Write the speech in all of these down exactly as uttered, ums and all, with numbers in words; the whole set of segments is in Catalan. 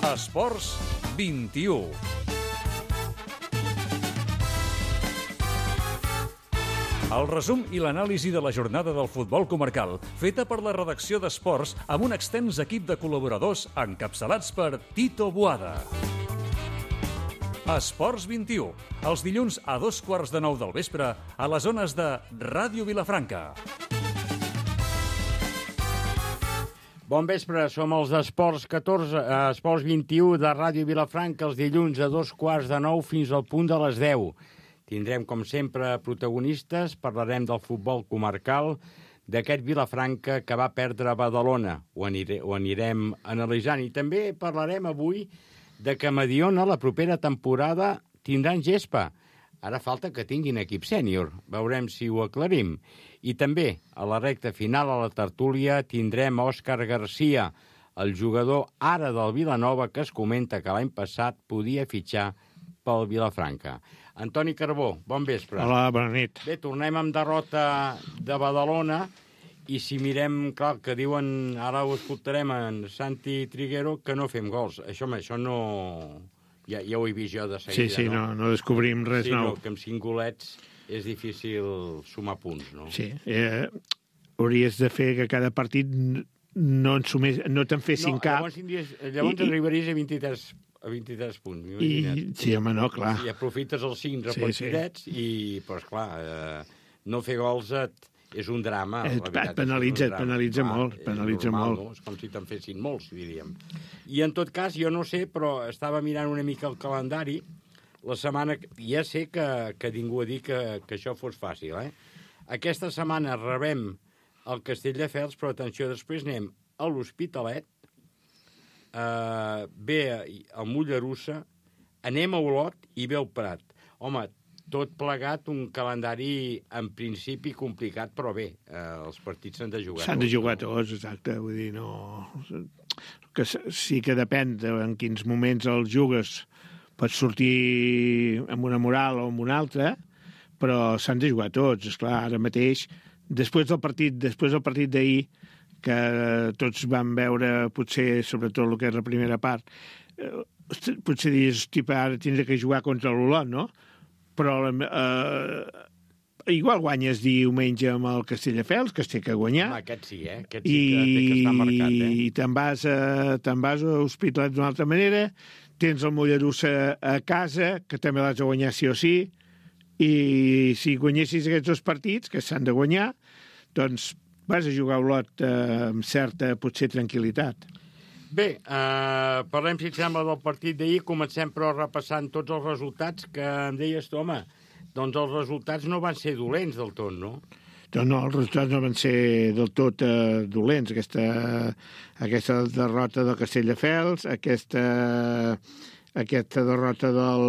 Esports vint-i-u. El resum i l'anàlisi de la jornada del futbol comarcal, feta per la redacció d'Esports amb un extens equip de col·laboradors encapçalats per Tito Boada. Esports vint-i-u, els dilluns a dos quarts de nou del vespre a les zones de Ràdio Vilafranca. Bon vespre, som els d'Esports catorze, eh, Esports vint-i-u de Ràdio Vilafranca, els dilluns a dos quarts de nou fins al punt de les deu. Tindrem, com sempre, protagonistes, parlarem del futbol comarcal, d'aquest Vilafranca que va perdre a Badalona. Ho, aniré, ho anirem analitzant. I també parlarem avui de que Mediona la propera temporada tindran gespa. Ara falta que tinguin equip sènior. Veurem si ho aclarim. I també, a la recta final, a la tertúlia, tindrem Òscar Garcia, el jugador ara del Vilanova, que es comenta que l'any passat podia fitxar pel Vilafranca. Antoni Carbó, bon vespre. Hola, bona nit. Bé, tornem amb derrota de Badalona i si mirem, clar, que diuen, ara ho escoltarem en Santi Triguero, que no fem gols. Això, això no... Ja, ja ho he vist jo de seguida, sí, sí, no? no, no descobrim res sí, nou. No, que amb cinc golets és difícil sumar punts, no? Sí, eh, hauries de fer que cada partit no, en sumés, no te'n fessin no, cap. Llavors, tindries, llavors I, arribaries a vint-i-tres... a vint-i-tres punts. I, sí, home, no, clar. I aprofites els cinc repartidets, sí, sí. i, però, esclar, eh, no fer gols et, és un drama. Et, et penalitza, et penalitza clar, molt, penalitza normal, molt. No? És com si te'n fessin molts, diríem. I, en tot cas, jo no sé, però estava mirant una mica el calendari, la setmana... Ja sé que, que ningú ha dit que, que això fos fàcil, eh? Aquesta setmana rebem el Castelldefels, però, atenció, després anem a l'Hospitalet, Uh, ve el Mollerussa, anem a Olot i ve el Prat. Home, tot plegat un calendari en principi complicat, però bé, uh, els partits s'han de jugar. S'han de jugar tots, exacte, vull dir, no... Que sí que depèn de en quins moments els jugues, pots sortir amb una moral o amb una altra, però s'han de jugar tots, esclar, ara mateix, després del partit, després del partit d'ahir, que tots vam veure, potser, sobretot el que és la primera part, eh, potser dius, hosti, ara tindré que jugar contra l'Olot, no? Però eh, igual guanyes diumenge amb el Castelldefels, que es té que guanyar. Home, aquest sí, eh? Aquest sí que té que estar marcat, eh? I te'n vas, a, te'n vas a Hospitalet d'una altra manera, tens el Mollerussa a casa, que també l'has de guanyar sí o sí, i si guanyessis aquests dos partits, que s'han de guanyar, doncs vas a jugar a Olot eh, amb certa, potser, tranquil·litat. Bé, eh, parlem, si et sembla, del partit d'ahir. Comencem, però, repassant tots els resultats que em deies tu, home, doncs els resultats no van ser dolents del tot, no? Doncs no, els resultats no van ser del tot eh, dolents. Aquesta, aquesta derrota del Castelldefels, aquesta, aquesta derrota del,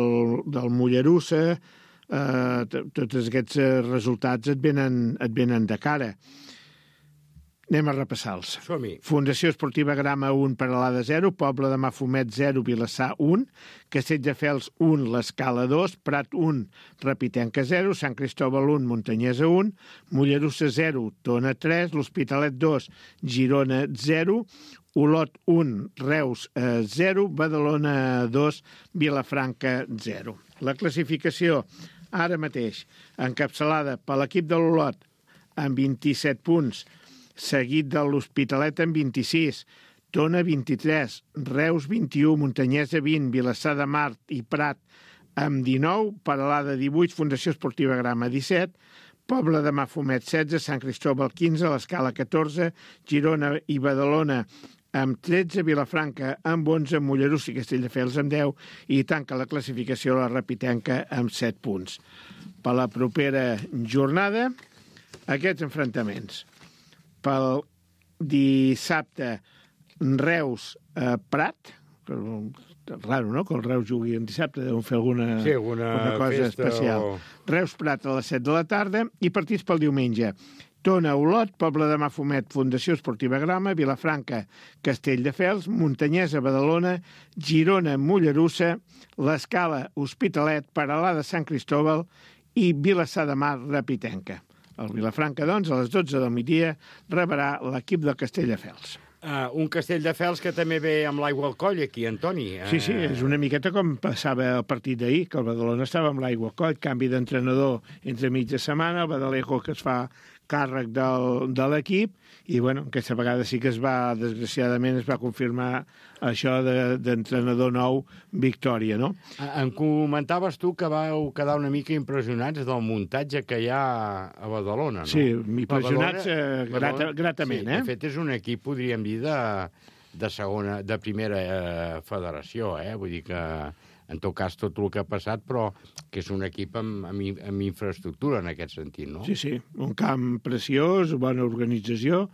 del Mollerussa, eh, tots aquests resultats et venen, et venen de cara. Anem a repassar-los. Som-hi. Fundació Esportiva Grama un, Peralada zero, Pobla de Mafumet zero, Vilassar un, Castelldefels un, l'Escala dos, Prat un, Repitenca zero, Sant Cristòbal un, Muntanyesa un, Mollerussa zero, Tona tres, l'Hospitalet dos, Girona zero, Olot un, Reus zero, Badalona dos, Vilafranca zero. La classificació, ara mateix, encapçalada per l'equip de l'Olot amb vint-i-set punts, seguit de l'Hospitalet amb vint-i-sis, Tona vint-i-tres, Reus vint-i-u, Muntanyesa vint, Vilassar de Mar i Prat amb dinou, Peralada divuit, Fundació Esportiva Grama disset, Pobla de Mafumet setze, Sant Cristòbal quinze, l'Escala catorze, Girona i Badalona amb tretze, Vilafranca amb onze, Mollerussa i Castelldefels amb deu i tanca la classificació la Repitenca amb set punts. Per la propera jornada, aquests enfrontaments. Pel dissabte, Reus-Prat, raro, no?, que el Reus jugui en dissabte, deuen fer alguna, sí, alguna cosa especial. O... Reus-Prat a les set de la tarda i partits pel diumenge. Tona-Olot, Pobla de Mafumet, Fundació Esportiva Grama, Vilafranca, Castelldefels, Muntanyesa, Badalona, Girona, Mollerussa, l'Escala, Hospitalet, Peralada, Sant Cristòbal i Vilassar de Mar, Repitenca. El Vilafranca, doncs, a les dotze del migdia rebrà l'equip del Castelldefels. Uh, un Castelldefels que també ve amb l'aigua al coll aquí, Antoni. Uh... Sí, sí, és una miqueta com passava el partit d'ahir, que el Badalona estava amb l'aigua al coll, canvi d'entrenador entre mitja setmana, el Badalejo que es fa càrrec del, de l'equip, i bueno, aquesta vegada sí que es va, desgraciadament, es va confirmar això d'entrenador de, nou, Victòria, no? Em comentaves tu que vau quedar una mica impressionats del muntatge que hi ha a Badalona, no? Sí, impressionats eh, grata, gratament, sí, eh? De fet, és un equip, podríem dir, de, de segona, de primera eh, federació, eh? Vull dir que, en tot cas, tot el que ha passat, però que és un equip amb, amb, amb infraestructura en aquest sentit, no? Sí, sí, un camp preciós, bona organització,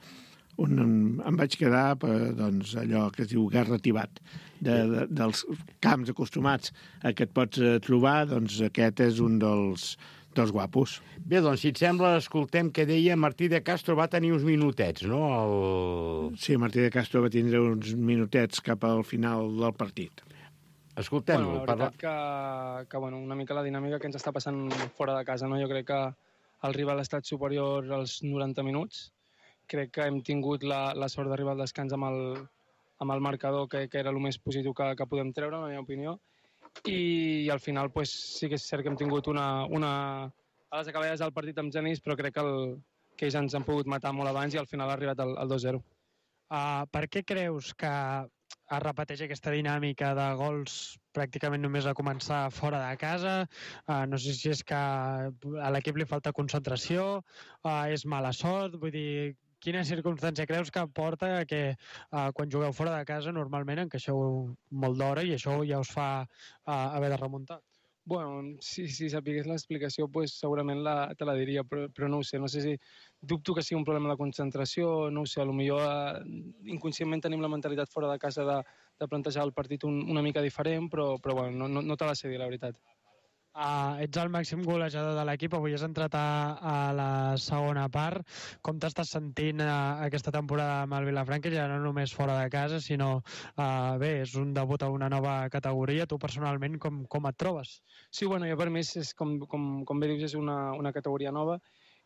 on em, em vaig quedar per, doncs, allò que es diu guerra tibat, de, de, dels camps acostumats a què et pots trobar, doncs aquest és un dels, dels guapos. Bé, doncs, si et sembla, escoltem què deia Martí de Castro, va tenir uns minutets, no? El... Sí, Martí de Castro va tindre uns minutets cap al final del partit. Escoltem-lo. Bueno, la veritat parla... que, que bueno, una mica la dinàmica que ens està passant fora de casa, no? Jo crec que el rival ha estat superior als noranta minuts. Crec que hem tingut la, la sort d'arribar al descans amb el, amb el marcador, que, que era el més positiu que, que podem treure, en la meva opinió. I, i al final pues, sí que és cert que hem tingut una, una... a les acabades del partit amb Genís, però crec que, el, que ells ens han pogut matar molt abans i al final ha arribat el, el dos zero. Uh, per què creus que es repeteix aquesta dinàmica de gols pràcticament només a començar fora de casa? Uh, no sé si és que a l'equip li falta concentració, uh, és mala sort, vull dir, quina circumstància creus que porta a que uh, quan jugueu fora de casa normalment encaixeu molt d'hora i això ja us fa uh, haver de remuntar? Bueno, si, si sapigués l'explicació, pues, segurament la, te la diria, però, però no ho sé. No sé si dubto que sigui un problema de concentració, no ho sé, potser eh, inconscientment tenim la mentalitat fora de casa de, de plantejar el partit un, una mica diferent, però, però bueno, no, no, no te la sé dir, la veritat. Uh, ets el màxim golejador de l'equip, avui has entrat a, a la segona part. Com t'estàs sentint uh, aquesta temporada amb el Vilafranca, ja no només fora de casa, sinó, uh, bé, és un debut a una nova categoria. Tu personalment com, com et trobes? Sí, bueno, jo per mi, és, com, com, com bé dius, és una, una categoria nova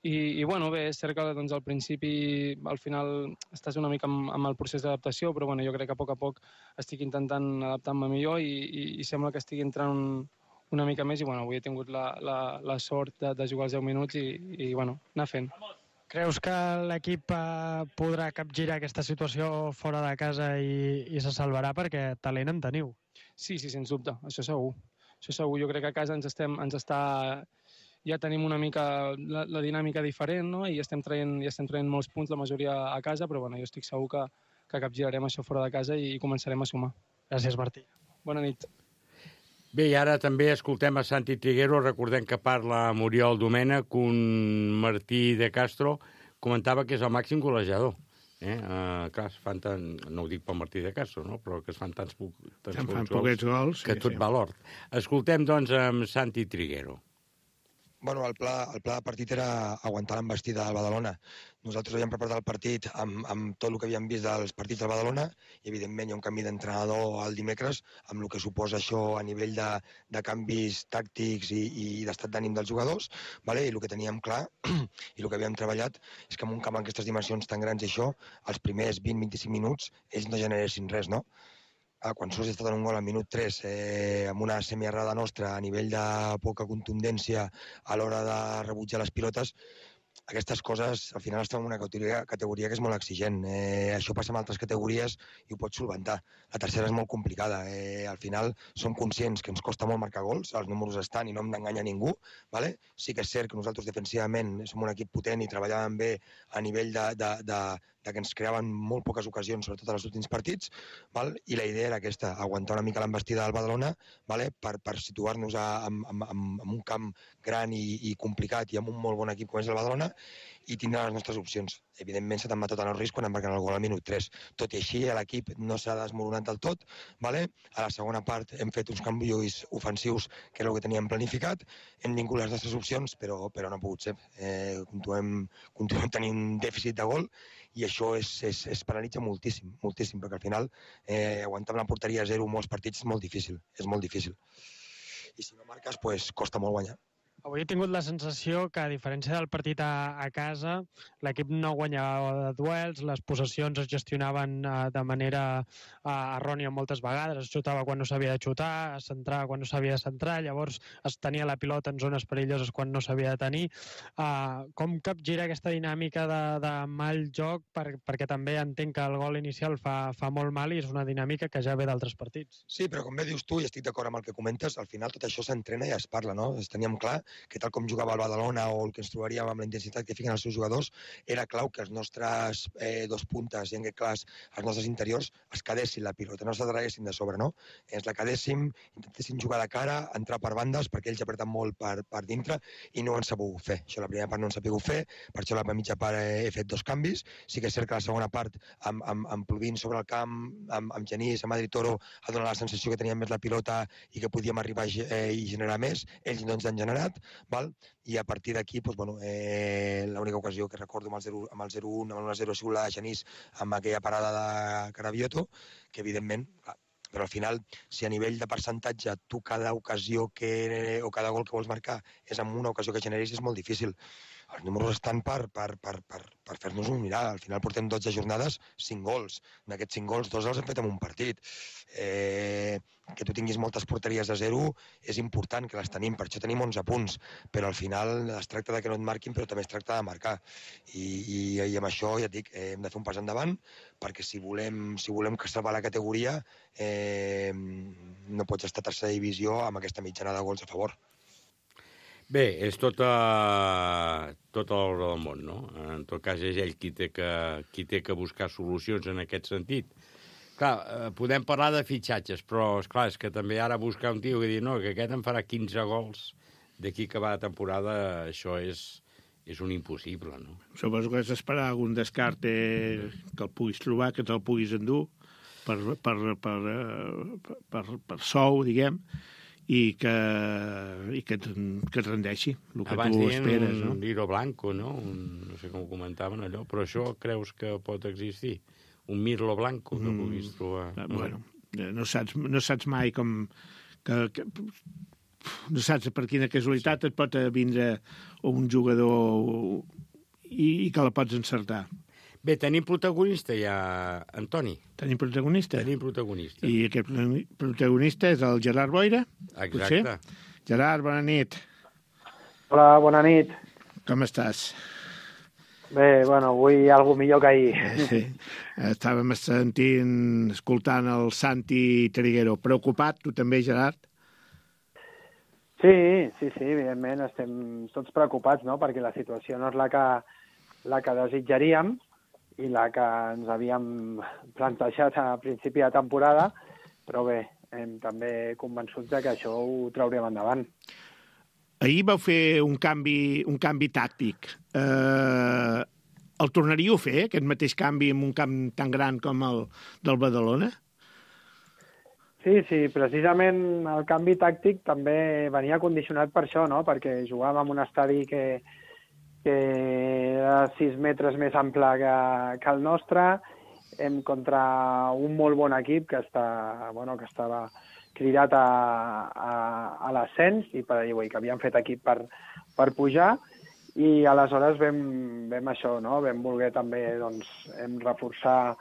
i, i bueno, bé, és cert que doncs, al principi, al final, estàs una mica amb, amb el procés d'adaptació, però bueno, jo crec que a poc a poc estic intentant adaptar-me millor i, i, i sembla que estigui entrant un una mica més i bueno, avui he tingut la, la, la sort de, de jugar els deu minuts i, i bueno, anar fent. Creus que l'equip eh, podrà capgirar aquesta situació fora de casa i, i se salvarà perquè talent en teniu? Sí, sí, sens dubte, això segur. Això segur, jo crec que a casa ens, estem, ens està... ja tenim una mica la, la dinàmica diferent, no? I estem traient, ja estem traient molts punts, la majoria a casa, però bueno, jo estic segur que, que capgirarem això fora de casa i, i començarem a sumar. Gràcies, Martí. Bona nit. Bé, i ara també escoltem a Santi Triguero, recordem que parla Muriel Domènech, un Martí de Castro comentava que és el màxim golejador. Eh? Uh, clar, es fan tant, no ho dic pel Martí de Castro, no? Però que es fan tants, tants fan gols, poquets gols que sí, tot sí. va a l'hort. Escoltem, doncs, amb Santi Triguero. Bueno, el pla, el pla de partit era aguantar l'embestida del Badalona. Nosaltres havíem preparat el partit amb, amb tot el que havíem vist dels partits del Badalona i, evidentment, hi ha un canvi d'entrenador el dimecres amb el que suposa això a nivell de, de canvis tàctics i, i d'estat d'ànim dels jugadors. Vale? I el que teníem clar i el que havíem treballat és que en un camp amb aquestes dimensions tan grans i això, els primers vint a vint-i-cinc minuts, ells no generessin res, no? Ah, quan sols està donant un gol al minut tres eh, amb una semiarrada nostra a nivell de poca contundència a l'hora de rebutjar les pilotes, aquestes coses al final estan en una categoria, categoria que és molt exigent. Eh, això passa en altres categories i ho pots solventar. La tercera és molt complicada. Eh, al final som conscients que ens costa molt marcar gols, els números estan i no hem d'enganyar ningú. Vale? Sí que és cert que nosaltres defensivament som un equip potent i treballàvem bé a nivell de, de, de, de que ens creaven molt poques ocasions, sobretot en els últims partits, val? I la idea era aquesta, aguantar una mica l'embestida del Badalona, vale? per, per situar-nos en, en, en, en un camp gran i, i complicat i amb un molt bon equip com és el Badalona i tindre les nostres opcions. Evidentment s'ha també tot en el risc quan embarquen el gol al minut tres. Tot i així, l'equip no s'ha desmoronat del tot. Vale? A la segona part hem fet uns canvis ofensius, que era el que teníem planificat. Hem vingut les nostres opcions, però, però no ha pogut ser. Eh, continuem, continuem tenint un dèficit de gol i això és, és, és penalitza moltíssim, moltíssim, perquè al final eh, aguantar la porteria a zero molts partits és molt difícil, és molt difícil. I si no marques, pues, costa molt guanyar. Avui he tingut la sensació que, a diferència del partit a, a casa, l'equip no guanyava duels, les possessions es gestionaven uh, de manera uh, errònia moltes vegades, es xutava quan no s'havia de xutar, es centrava quan no s'havia de centrar, llavors es tenia la pilota en zones perilloses quan no s'havia de tenir. Uh, com capgira aquesta dinàmica de, de mal joc? Per, perquè també entenc que el gol inicial fa, fa molt mal i és una dinàmica que ja ve d'altres partits. Sí, però com bé dius tu, i estic d'acord amb el que comentes, al final tot això s'entrena i es parla, no? Teníem clar que tal com jugava el Badalona o el que ens trobaríem amb la intensitat que fiquen els seus jugadors, era clau que els nostres eh, dos puntes, i en aquest cas els nostres interiors, es quedessin la pilota, no se traguessin de sobre, no? Ens la quedéssim, intentessin jugar de cara, entrar per bandes, perquè ells apreten molt per, per dintre i no han sabut fer. Això la primera part no han sabut fer, per això la mitja part he fet dos canvis. Sí que és cert que la segona part, amb, amb, amb Pluvin sobre el camp, amb, amb Genís, amb Adri Toro, ha donat la sensació que teníem més la pilota i que podíem arribar eh, i generar més. Ells no ens han generat, val? I a partir d'aquí, doncs, bueno, eh, l'única ocasió que recordo amb el zero u, amb el un a zero, ha sigut la de Genís amb aquella parada de Carabioto, que evidentment, clar, però al final, si a nivell de percentatge tu cada ocasió que, o cada gol que vols marcar és amb una ocasió que generis, és molt difícil. Els números estan per, per, per, per, per fer-nos un mirar. Al final portem dotze jornades, cinc gols. En aquests cinc gols, dos els hem fet en un partit. Eh, que tu tinguis moltes porteries a zero és important, que les tenim, per això tenim onze punts, però al final es tracta de que no et marquin, però també es tracta de marcar. I, i, i amb això, ja et dic, eh, hem de fer un pas endavant, perquè si volem, si volem que salvar la categoria, eh, no pots estar a tercera divisió amb aquesta mitjana de gols a favor. Bé, és tot, a, tot a l'hora del món, no? En tot cas, és ell qui té que, qui té que buscar solucions en aquest sentit. Clar, podem parlar de fitxatges, però, esclar, és que també ara buscar un tio que dir no, que aquest em farà quinze gols d'aquí que va la temporada, això és, és un impossible, no? Suposo que has d'esperar algun descart eh, que el puguis trobar, que te'l puguis endur per, per, per, per, per, per sou, diguem, i que, i que, que et rendeixi el que abans tu esperes, esperes, no? no? Un Liro Blanco, no? Un, no sé com ho comentaven allò, però això creus que pot existir? Un Mirlo Blanco que mm, puguis trobar? No? Bueno, no saps, no saps mai com... Que, que, no saps per quina casualitat sí. et pot vindre un jugador i, i que la pots encertar. Bé, tenim protagonista ja, Antoni. Tenim protagonista? Tenim protagonista. I aquest protagonista és el Gerard Boira? Exacte. Potser? Gerard, bona nit. Hola, bona nit. Com estàs? Bé, bueno, avui algo millor que ahir. Sí. Estàvem sentint, escoltant el Santi Triguero. Preocupat, tu també, Gerard? Sí, sí, sí, evidentment estem tots preocupats, no?, perquè la situació no és la que, la que desitjaríem i la que ens havíem plantejat a principi de temporada, però bé, hem també convençuts de que això ho traurem endavant. Ahir vau fer un canvi, un canvi tàctic. Eh, el tornaríeu a fer, aquest mateix canvi en un camp tan gran com el del Badalona? Sí, sí, precisament el canvi tàctic també venia condicionat per això, no?, perquè jugàvem en un estadi que que era sis metres més ample que, que el nostre, hem contra un molt bon equip que, està, bueno, que estava cridat a, a, a l'ascens i per, i que havien fet equip per, per pujar, i aleshores vam, vam això, no? Vam voler també doncs, hem reforçar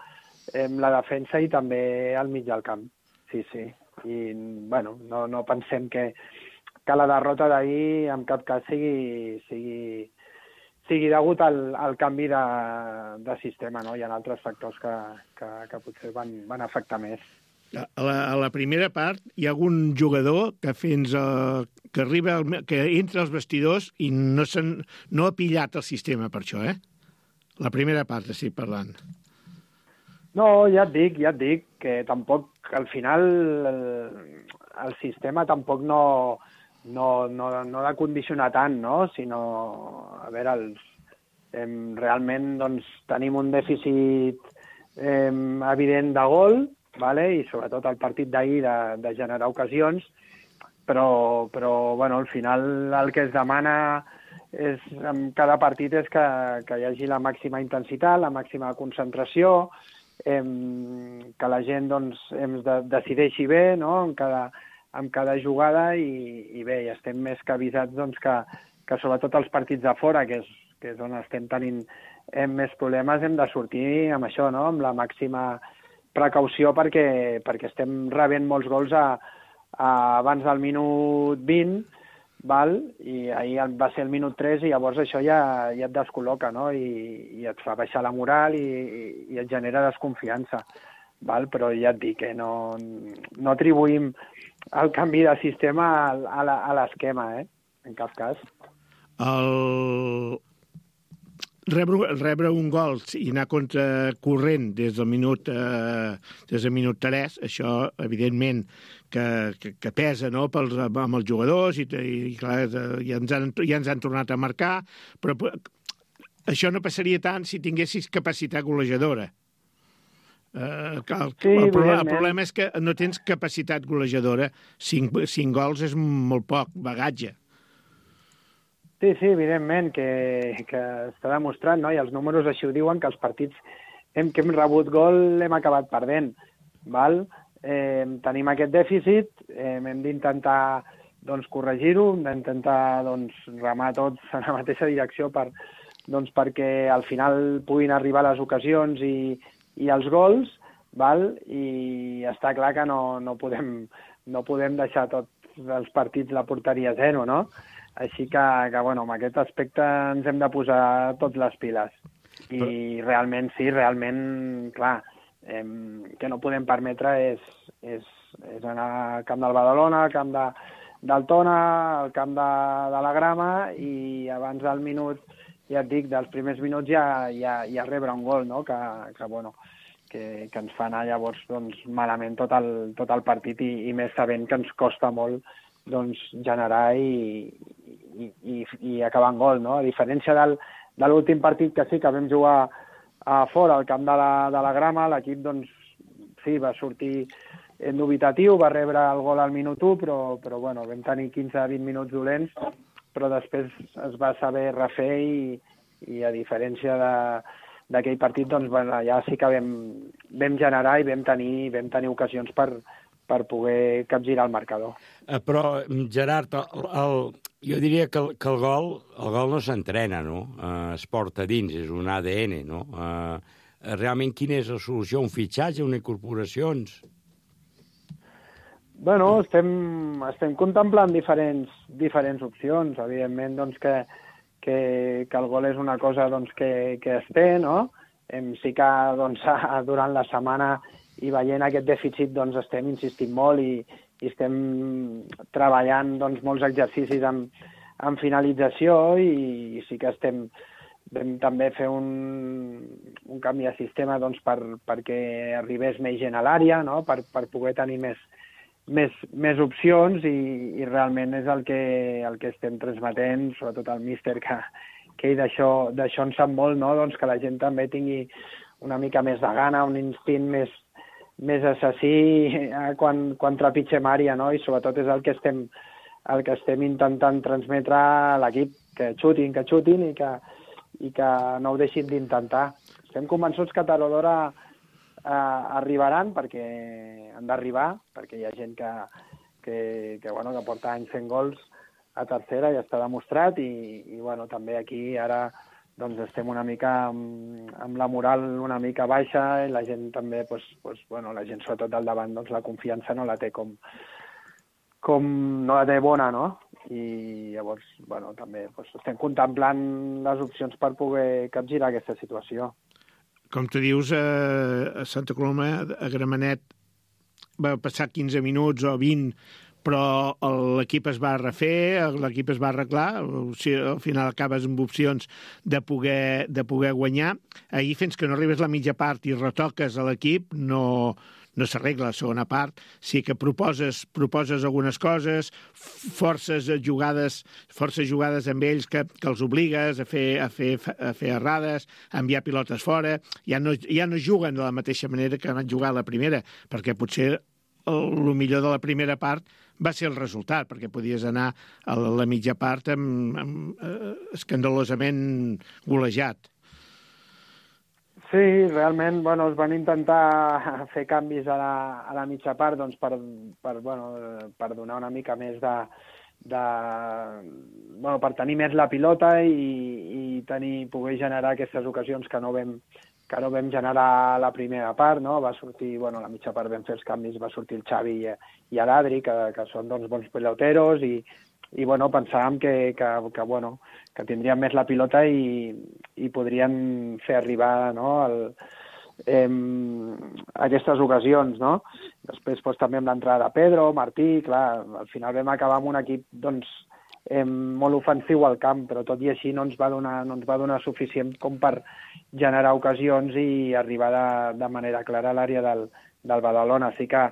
hem la defensa i també al mig del camp. Sí, sí. I bueno, no, no pensem que, que la derrota d'ahir en cap cas sigui... sigui sigui degut al, al canvi de, de sistema, no? Hi ha altres factors que, que, que potser van, van afectar més. A la, a la primera part hi ha algun jugador que fins a, que arriba al, que entra als vestidors i no, no ha pillat el sistema per això, eh? La primera part estic parlant. No, ja et dic, ja et dic, que tampoc, al final, el, el sistema tampoc no... No, no, no ha de condicionar tant, no? Sinó, a veure, els, eh, realment doncs, tenim un dèficit eh, evident de gol, vale? I sobretot el partit d'ahir de, de generar ocasions, però, però bueno, al final el que es demana és, en cada partit és que, que hi hagi la màxima intensitat, la màxima concentració, eh, que la gent doncs, em de, decideixi bé, no? En cada amb cada jugada i, i bé, ja estem més que avisats doncs, que, que sobretot els partits de fora, que és, que és on estem tenint eh, més problemes, hem de sortir amb això, no? Amb la màxima precaució perquè, perquè estem rebent molts gols a, a, abans del minut vint, val? I ahir va ser el minut tres i llavors això ja, ja et descol·loca, no? I, i et fa baixar la moral i, i et genera desconfiança. Val? Però ja et dic que no, no atribuïm el canvi de sistema a, a l'esquema, eh? En cap cas. El... Rebre, rebre un gol i anar contra corrent des del minut, eh, des del minut tres, això, evidentment, que, que, que pesa, no?, pels, amb els jugadors, i, i clar, ja ens, han, ja ens han tornat a marcar, però això no passaria tant si tinguessis capacitat golejadora. Uh, el, sí, el, problema, el problema és que no tens capacitat golejadora. Cinc, cinc gols és molt poc, bagatge. Sí, sí, evidentment, que, que està demostrat, no? I els números així ho diuen, que els partits en què hem rebut gol hem acabat perdent. Val? Eh, tenim aquest dèficit, eh, hem d'intentar doncs, corregir-ho, hem d'intentar doncs, remar tots en la mateixa direcció per, doncs, perquè al final puguin arribar les ocasions i i els gols, val? I està clar que no, no, podem, no podem deixar tots els partits la porteria a zero, no? Així que, que bueno, en aquest aspecte ens hem de posar tots les piles. I Però... realment, sí, realment, clar, eh, que no podem permetre és, és, és anar al camp del Badalona, al camp de, del Tona, al camp de, de la Grama, i abans del minut, ja et dic, dels primers minuts ja, ja, ja rebre un gol, no? Que, que, bueno, que, que ens fa anar llavors doncs, malament tot el, tot el partit i, i més sabent que ens costa molt doncs, generar i, i, i, i acabar en gol, no? A diferència del, de l'últim partit que sí que vam jugar a fora, al camp de la, de la Grama, l'equip doncs, sí, va sortir en dubitatiu, va rebre el gol al minut u, però, però bueno, vam tenir quinze a vint minuts dolents, però després es va saber refer i, i a diferència de, d'aquell partit, doncs, bueno, ja sí que vam, vam generar i vam tenir, vam tenir ocasions per, per poder capgirar el marcador. Eh, però, Gerard, el, el, jo diria que el, que el gol el gol no s'entrena, no? Eh, es porta dins, és un A D N, no? Eh, realment, quina és la solució? Un fitxatge, una incorporacions? Bueno, estem, estem contemplant diferents, diferents opcions. Evidentment, doncs, que, que, que el gol és una cosa doncs, que, que es té, no? Em, sí que doncs, durant la setmana i veient aquest dèficit doncs, estem insistint molt i, i estem treballant doncs, molts exercicis amb, amb finalització i, i sí que estem vam també fer un, un canvi de sistema doncs, per, perquè arribés més gent a l'àrea, no? per, per poder tenir més, més, més opcions i, i realment és el que, el que estem transmetent, sobretot el míster, que, que d'això d'això en sap molt, no? Doncs que la gent també tingui una mica més de gana, un instint més, més assassí quan, quan trepitgem àrea, no? I sobretot és el que estem, el que estem intentant transmetre a l'equip, que xutin, que xutin i que, i que no ho deixin d'intentar. Estem convençuts que tard o d'hora eh, arribaran, perquè han d'arribar, perquè hi ha gent que, que, que, bueno, que porta anys fent gols a tercera, ja està demostrat, i, i bueno, també aquí ara doncs, estem una mica amb, amb la moral una mica baixa, i la gent també, pues, pues, bueno, la gent sobretot al davant, doncs la confiança no la té com, com no la té bona, no? I llavors, bueno, també pues, estem contemplant les opcions per poder capgirar aquesta situació. Com tu dius, a Santa Coloma, a Gramenet, va passar quinze minuts o vint, però l'equip es va refer, l'equip es va arreglar, o sigui, al final acabes amb opcions de poder, de poder guanyar. Ahir, fins que no arribes a la mitja part i retoques a l'equip, no, no s'arregla la segona part. Sí que proposes, proposes algunes coses, forces jugades, forces jugades amb ells que, que els obligues a fer, a, fer, a fer errades, a enviar pilotes fora. Ja no, ja no juguen de la mateixa manera que van jugar a la primera, perquè potser el, el millor de la primera part va ser el resultat, perquè podies anar a la, la mitja part amb, amb, eh, escandalosament golejat. Sí, realment, bueno, es van intentar fer canvis a la, a la mitja part doncs, per, per, bueno, per donar una mica més de, de... Bueno, per tenir més la pilota i, i tenir, poder generar aquestes ocasions que no vam, que no vam generar a la primera part, no? Va sortir, bueno, a la mitja part vam fer els canvis, va sortir el Xavi i, i l'Adri, que, que són doncs, bons piloteros, i, i bueno, pensàvem que, que, que, bueno, que tindrien més la pilota i, i podrien fer arribar, no, el, eh, aquestes ocasions, no? Després doncs, també amb l'entrada de Pedro, Martí, clar, al final vam acabar amb un equip doncs, eh, molt ofensiu al camp, però tot i així no ens va donar, no ens va donar suficient com per generar ocasions i arribar de, de manera clara a l'àrea del, del Badalona. Així que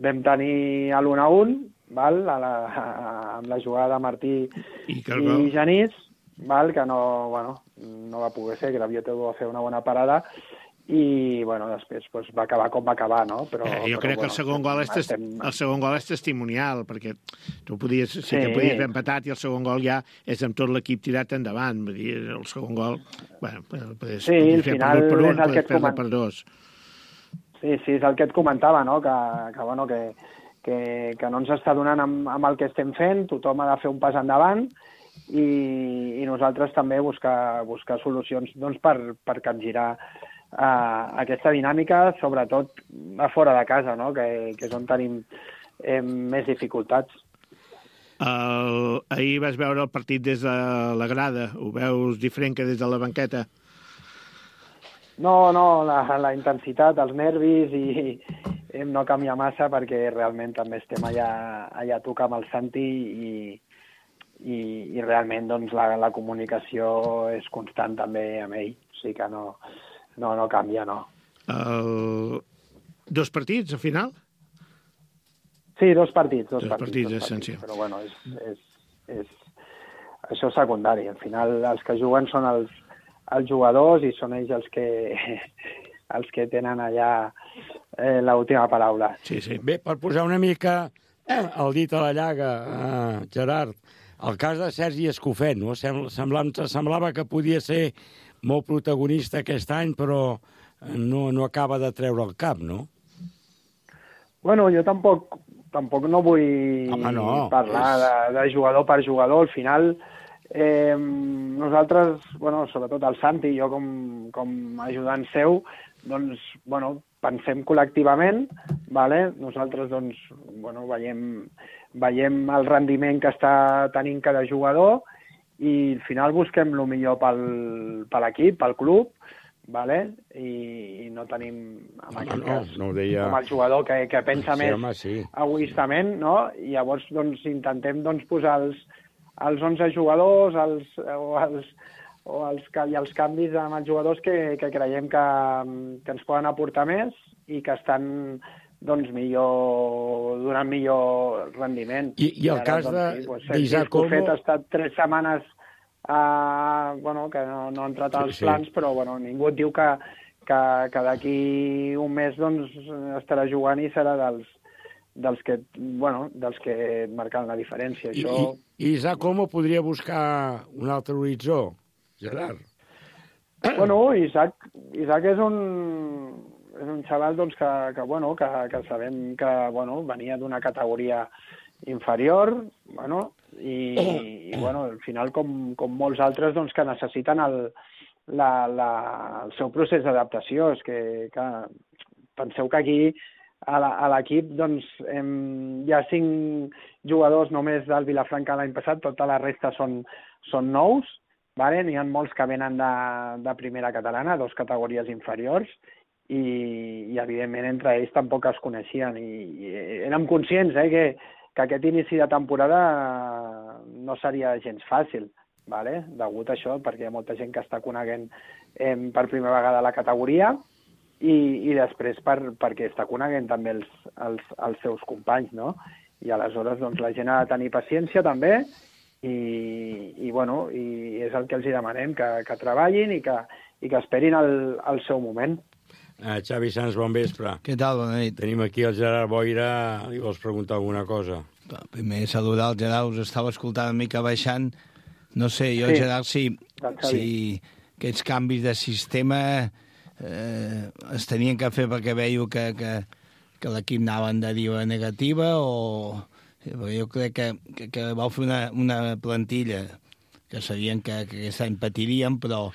vam tenir l'un a un, val? A la, a, amb la jugada de Martí i, i Genís, val? Que no, bueno, no va poder ser, que la Bioteu va fer una bona parada, i bueno, després pues, va acabar com va acabar, no? Però, eh, jo però, crec bueno, que el segon, gol és estem... el segon gol és testimonial, perquè tu podies, sí, sí que podies haver empatat i el segon gol ja és amb tot l'equip tirat endavant. Vull dir, el segon gol, bueno, podies, sí, podies fer final per un, és el podies que et fer coment... per dos. Sí, sí, és el que et comentava, no? Que, que, bueno, que, que, que no ens està donant amb, amb el que estem fent, tothom ha de fer un pas endavant i, i nosaltres també buscar, buscar solucions doncs, per, per capgirar uh, aquesta dinàmica, sobretot a fora de casa, no? que, que és on tenim eh, més dificultats. El, ahir vas veure el partit des de la grada, ho veus diferent que des de la banqueta? No, no, la, la intensitat, els nervis i eh, no canvia massa perquè realment també estem allà, allà a tocar amb el Santi i, i, i realment doncs, la, la comunicació és constant també amb ell, o sigui que no, no, no canvia, no. El... Dos partits, al final? Sí, dos partits. Dos, dos partits, partits, dos essencial. Partits, però bueno, és, és, és, això és secundari. Al final els que juguen són els, els jugadors i són ells els que, els que tenen allà eh, l'última paraula. Sí, sí. Bé, per posar una mica eh, el dit a la llaga, eh, Gerard, el cas de Sergi Escofet, no? Semblava, semblava que podia ser molt protagonista aquest any, però no, no acaba de treure el cap, no? Bueno, jo tampoc, tampoc no vull Home, no. parlar de, de jugador per jugador. Al final, eh, nosaltres, bueno, sobretot el Santi i jo com, com ajudant seu, doncs, bueno, pensem col·lectivament, vale? Nosaltres, doncs, bueno, veiem, veiem el rendiment que està tenint cada jugador i al final busquem el millor pel, per l'equip, pel club, vale? I, i no tenim en no, aquest no, cas no ho deia... com el jugador que, que pensa sí, més home, sí. egoistament, no? I llavors doncs, intentem doncs, posar els, els onze jugadors els, o, els, o els, i els canvis amb els jugadors que, que creiem que, que ens poden aportar més i que estan doncs, millor, donant millor rendiment. I, i el ara, cas doncs, sí, doncs, d'Isaac Olmo... Escofet ha estat tres setmanes Uh, bueno, que no, no ha entrat als sí, plans, sí. però bueno, ningú et diu que, que, que d'aquí un mes doncs, estarà jugant i serà dels, dels, que, bueno, dels que marquen la diferència. I, Això... i, i Isaac Olmo podria buscar un altre horitzó, Gerard? Bueno, Isaac, Isaac és un, és un xaval doncs, que, que, bueno, que, que sabem que bueno, venia d'una categoria inferior, bueno, i, i bueno, al final, com, com molts altres, doncs, que necessiten el, la, la, el seu procés d'adaptació. És que, que penseu que aquí a l'equip doncs, hem, hi ha cinc jugadors només del Vilafranca l'any passat, tota la resta són, són nous, vale? N'hi ha molts que venen de, de primera catalana, dos categories inferiors, i, i evidentment entre ells tampoc es coneixien, i, i érem conscients eh, que que aquest inici de temporada no seria gens fàcil, vale? Degut a això, perquè hi ha molta gent que està coneguent eh, per primera vegada la categoria i, i després per, perquè està coneguent també els, els, els seus companys, no? I aleshores doncs, la gent ha de tenir paciència també i, i, bueno, i és el que els hi demanem, que, que treballin i que, i que esperin el, el seu moment. Uh, Xavi Sans, bon vespre. Què tal? Bona nit. Tenim aquí el Gerard Boira. Li vols preguntar alguna cosa? Primer, saludar el Gerard. Us estava escoltant una mica baixant. No sé, jo, sí. Gerard, si, si aquests canvis de sistema eh, es tenien que fer perquè veieu que, que, que l'equip anava en deriva negativa o... Perquè jo crec que, que, que vau fer una, una plantilla que sabien que, que aquest any patiríem, però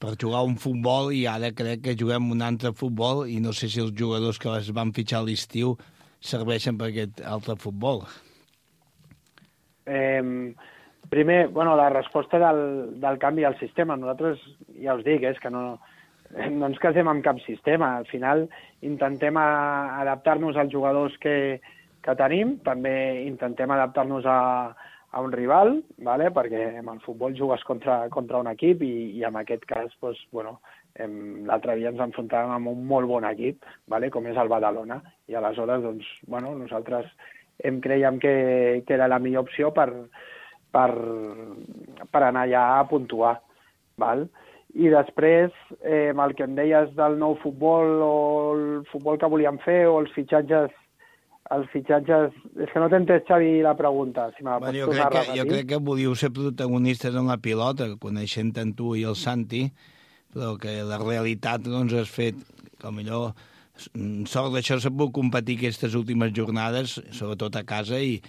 per jugar un futbol, i ara crec que juguem un altre futbol, i no sé si els jugadors que es van fitxar a l'estiu serveixen per aquest altre futbol. Eh, primer, bueno, la resposta del, del canvi al sistema. Nosaltres, ja us dic, és que no, no ens casem amb cap sistema. Al final intentem a, adaptar-nos als jugadors que, que tenim, també intentem adaptar-nos a, a un rival, ¿vale? Perquè en el futbol jugues contra, contra un equip i, i en aquest cas, pues, bueno, l'altre dia ens enfrontàvem amb un molt bon equip, ¿vale? Com és el Badalona, i aleshores, doncs, bueno, nosaltres em creiem que, que era la millor opció per, per, per anar allà a puntuar, val? I després, eh, el que em deies del nou futbol o el futbol que volíem fer o els fitxatges els fitxatges... És que no t'he entès, Xavi, la pregunta. Si me la bueno, pots jo, crec tornar a que, jo repetir. crec que volíeu ser protagonistes en la pilota, coneixent tant tu i el Santi, però que la realitat doncs, has fet, que millor sort d'això s'ha pogut competir aquestes últimes jornades, sobretot a casa, i,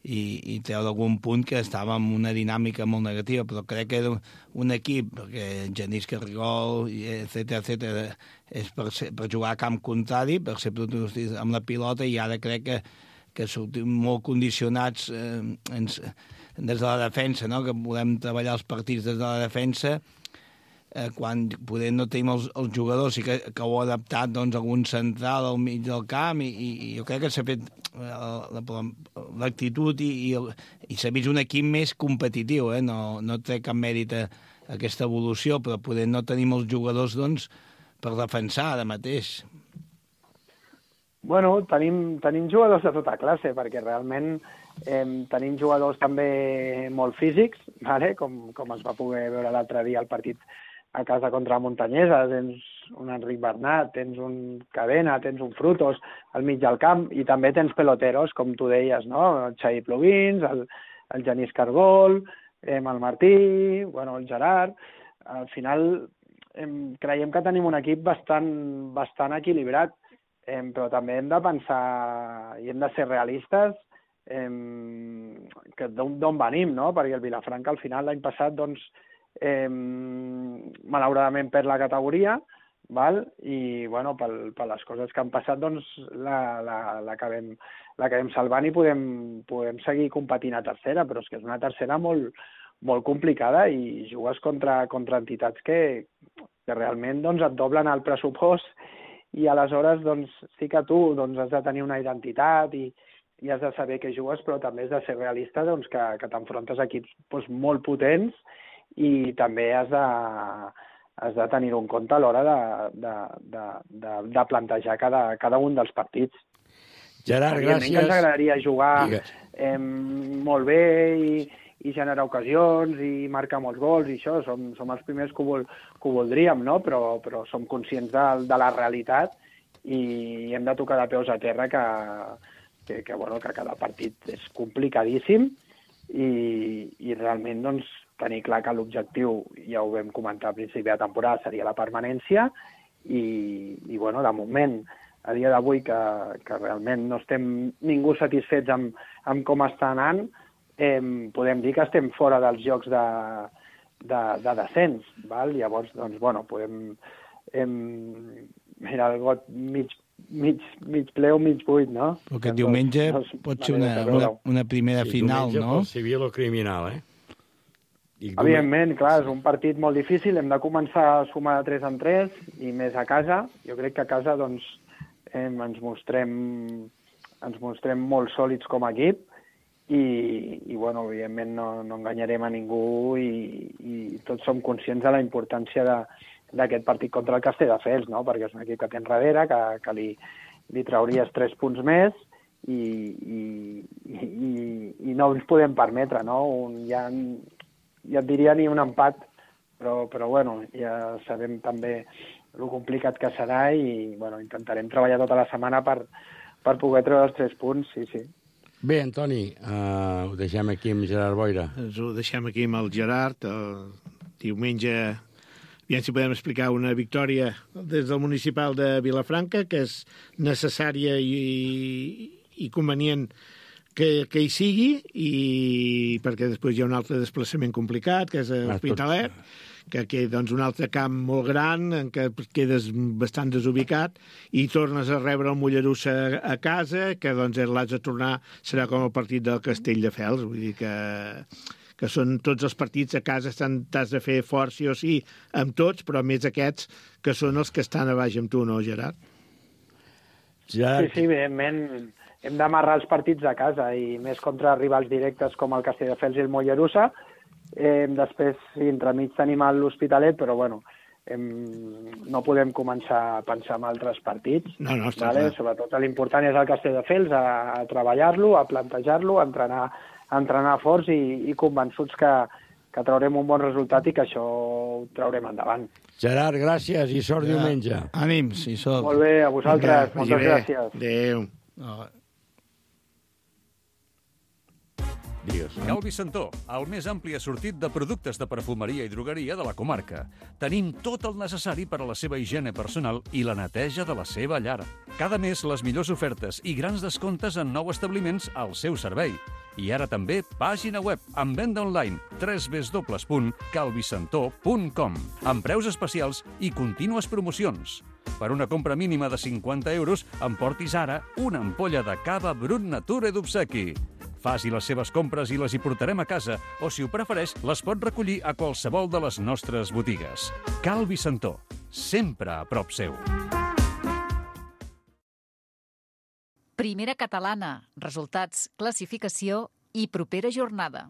i, i treure algun punt que estava en una dinàmica molt negativa, però crec que era un equip, perquè Genís Carrigol, etcètera, etcètera, és per, ser, per jugar a camp contrari, per ser protagonistes amb la pilota, i ara crec que, que sortim molt condicionats eh, ens, des de la defensa, no? Que podem treballar els partits des de la defensa, eh, quan poder no tenim els, els jugadors i que, que ho ha adaptat doncs, a un central al mig del camp, i, i, i jo crec que s'ha fet l'actitud i, i, el, i s'ha vist un equip més competitiu, eh? no, no té cap mèrit a, a aquesta evolució, però poder no tenim els jugadors doncs, per defensar ara mateix. Bueno, tenim, tenim jugadors de tota classe, perquè realment eh, tenim jugadors també molt físics, ¿vale? com, com es va poder veure l'altre dia al partit a casa contra Montanyesa. Tens un Enric Bernat, tens un Cadena, tens un Frutos al mig del camp, i també tens peloteros, com tu deies, no? El Xavi Plovins, el, el Genís Cargol, eh, el Martí, bueno, el Gerard. Al final eh, creiem que tenim un equip bastant, bastant equilibrat, eh, però també hem de pensar i hem de ser realistes eh, que d'on venim, no? Perquè el Vilafranca al final l'any passat, doncs, eh, malauradament perd la categoria, val? I bueno, per, per les coses que han passat, doncs l'acabem la, la salvant i podem, podem seguir competint a tercera, però és que és una tercera molt, molt complicada i jugues contra, contra entitats que, que realment doncs, et doblen el pressupost, i aleshores doncs, sí que tu doncs, has de tenir una identitat i, i has de saber què jugues, però també has de ser realista, doncs, que, que t'enfrontes a equips doncs, molt potents, i també has de, has de tenir en compte a l'hora de, de, de, de, de plantejar cada, cada un dels partits. Gerard, gràcies. Que ens agradaria jugar eh, molt bé i, i generar ocasions i marcar molts gols, i això, som, som els primers que ho, vol, que ho voldríem, no? però, però som conscients de, de la realitat i hem de tocar de peus a terra que, que, que, bueno, que cada partit és complicadíssim i, i realment doncs, tenir clar que l'objectiu, ja ho vam comentar al principi de temporada, seria la permanència i, i bueno, de moment, a dia d'avui que, que realment no estem ningú satisfets amb, amb com està anant, eh, podem dir que estem fora dels jocs de, de, de descens, val? Llavors, doncs, bueno, podem... Eh, mira, el got mig, mig, mig ple o mig buit, no? Perquè diumenge doncs, pot ser una, una, una primera sí, final, diumenge no? Pel civil o criminal, eh? I evidentment, clar, és un partit molt difícil, hem de començar a sumar de tres en tres i més a casa. Jo crec que a casa doncs, eh, ens, mostrem, ens mostrem molt sòlids com a equip i, i bueno, evidentment no, no enganyarem a ningú i, i tots som conscients de la importància d'aquest partit contra el Castelldefels, no? Perquè és un equip que té enrere, que, que li, li trauries tres punts més i, i, i, i no ens podem permetre, no? Un, ja, ja et diria ni un empat, però, però bueno, ja sabem també el complicat que serà i bueno, intentarem treballar tota la setmana per, per poder treure els tres punts, sí, sí. Bé, Antoni, uh, ho deixem aquí amb Gerard Boira. Ens ho deixem aquí amb el Gerard. El diumenge aviam si podem explicar una victòria des del municipal de Vilafranca, que és necessària i, i convenient que, que hi sigui, i perquè després hi ha un altre desplaçament complicat, que és l'Hospitalet, que queda doncs, un altre camp molt gran en què quedes bastant desubicat i tornes a rebre el Mollerussa a casa, que doncs l'has de tornar, serà com el partit del Castelldefels, vull dir que, que són tots els partits a casa, t'has de fer fort sí o sí amb tots, però més aquests que són els que estan a baix amb tu, no, Gerard? Gerard. Sí, sí, evidentment hem d'amarrar els partits a casa i més contra rivals directes com el Castelldefels i el Mollerussa. Eh, després, sí, entremig tenim l'Hospitalet, però bueno, em, no podem començar a pensar en altres partits. No, no, està vale? clar. Sobretot l'important és el Castelldefels, a, a treballar-lo, a plantejar-lo, a entrenar, a entrenar forts i, i convençuts que, que traurem un bon resultat i que això ho traurem endavant. Gerard, gràcies i sort ja. diumenge. Ànims, i sort. Molt bé, a vosaltres. Vinga, moltes bé. gràcies. Adéu. No. Digues. Calvi Santó, el més ampli assortit de productes de perfumeria i drogueria de la comarca. Tenim tot el necessari per a la seva higiene personal i la neteja de la seva llar. Cada mes les millors ofertes i grans descomptes en nou establiments al seu servei. I ara també pàgina web amb venda online w w w punt calvisantó punt com amb preus especials i contínues promocions. Per una compra mínima de cinquanta euros, emportis ara una ampolla de cava Brut Nature d'obsequi. Faci les seves compres i les hi portarem a casa, o si ho prefereix, les pot recollir a qualsevol de les nostres botigues. Calvi Santó, sempre a prop seu. Primera catalana, resultats, classificació i propera jornada.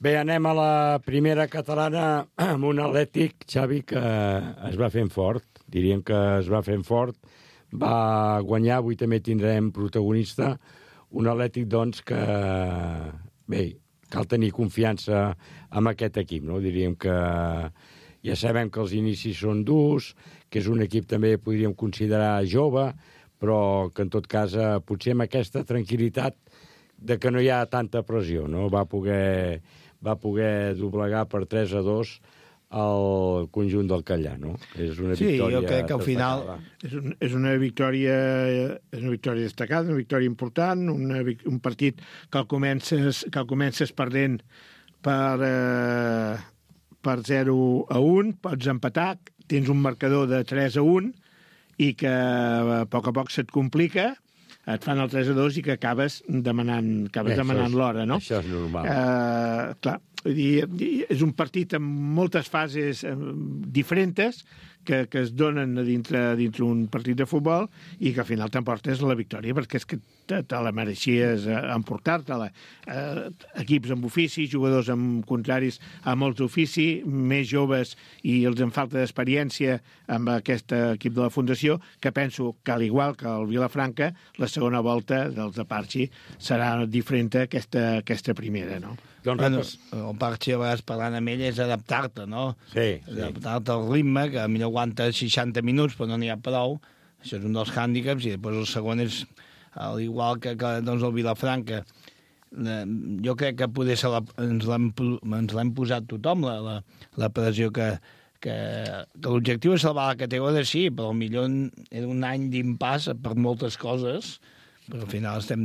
Bé, anem a la primera catalana amb un Atlètic, Xavi, que es va fent fort. Diríem que es va fent fort. Va guanyar, avui també tindrem protagonista. Un Atlètic, doncs, que, bé, cal tenir confiança en aquest equip, no? Diríem que ja sabem que els inicis són durs, que és un equip també podríem considerar jove, però que en tot cas potser amb aquesta tranquil·litat de que no hi ha tanta pressió, no? Va poder, va poder doblegar per tres a dos el conjunt del Callà, no? És una sí, victòria jo crec que al final... És, un, és una victòria és una victòria destacada, una victòria important, una, un partit que el comences, que el comences perdent per, eh, per zero a un, pots empatar, tens un marcador de tres a un i que a poc a poc se't complica, et fan el tres a dos i que acabes demanant, acabes Bé, demanant l'hora, no? Això és normal. Uh, clar, vull dir, és un partit amb moltes fases uh, diferents que, que es donen a dintre, a dintre un partit de futbol i que al final t'emportes la victòria perquè és que te, te la mereixies uh, emportar-te-la. Uh, equips amb ofici, jugadors amb contraris a molts ofici, més joves i els en falta d'experiència amb aquest equip de la Fundació, que penso que al igual que el Vilafranca, la segona volta dels de Parchi serà diferent a aquesta, aquesta primera, no? Doncs bueno, el Parchi, a vegades parlant amb ell, és adaptar-te, no? Sí, sí. Adaptar-te al ritme, que potser aguanta seixanta minuts, però no n'hi ha prou. Això és un dels hàndicaps, i després el segon és, al igual que, que doncs, el Vilafranca. Jo crec que poder ser la, ens l'hem posat tothom, la, la, la pressió que, que, que l'objectiu és salvar la categoria, sí, però potser era un any d'impàs per moltes coses, però al final estem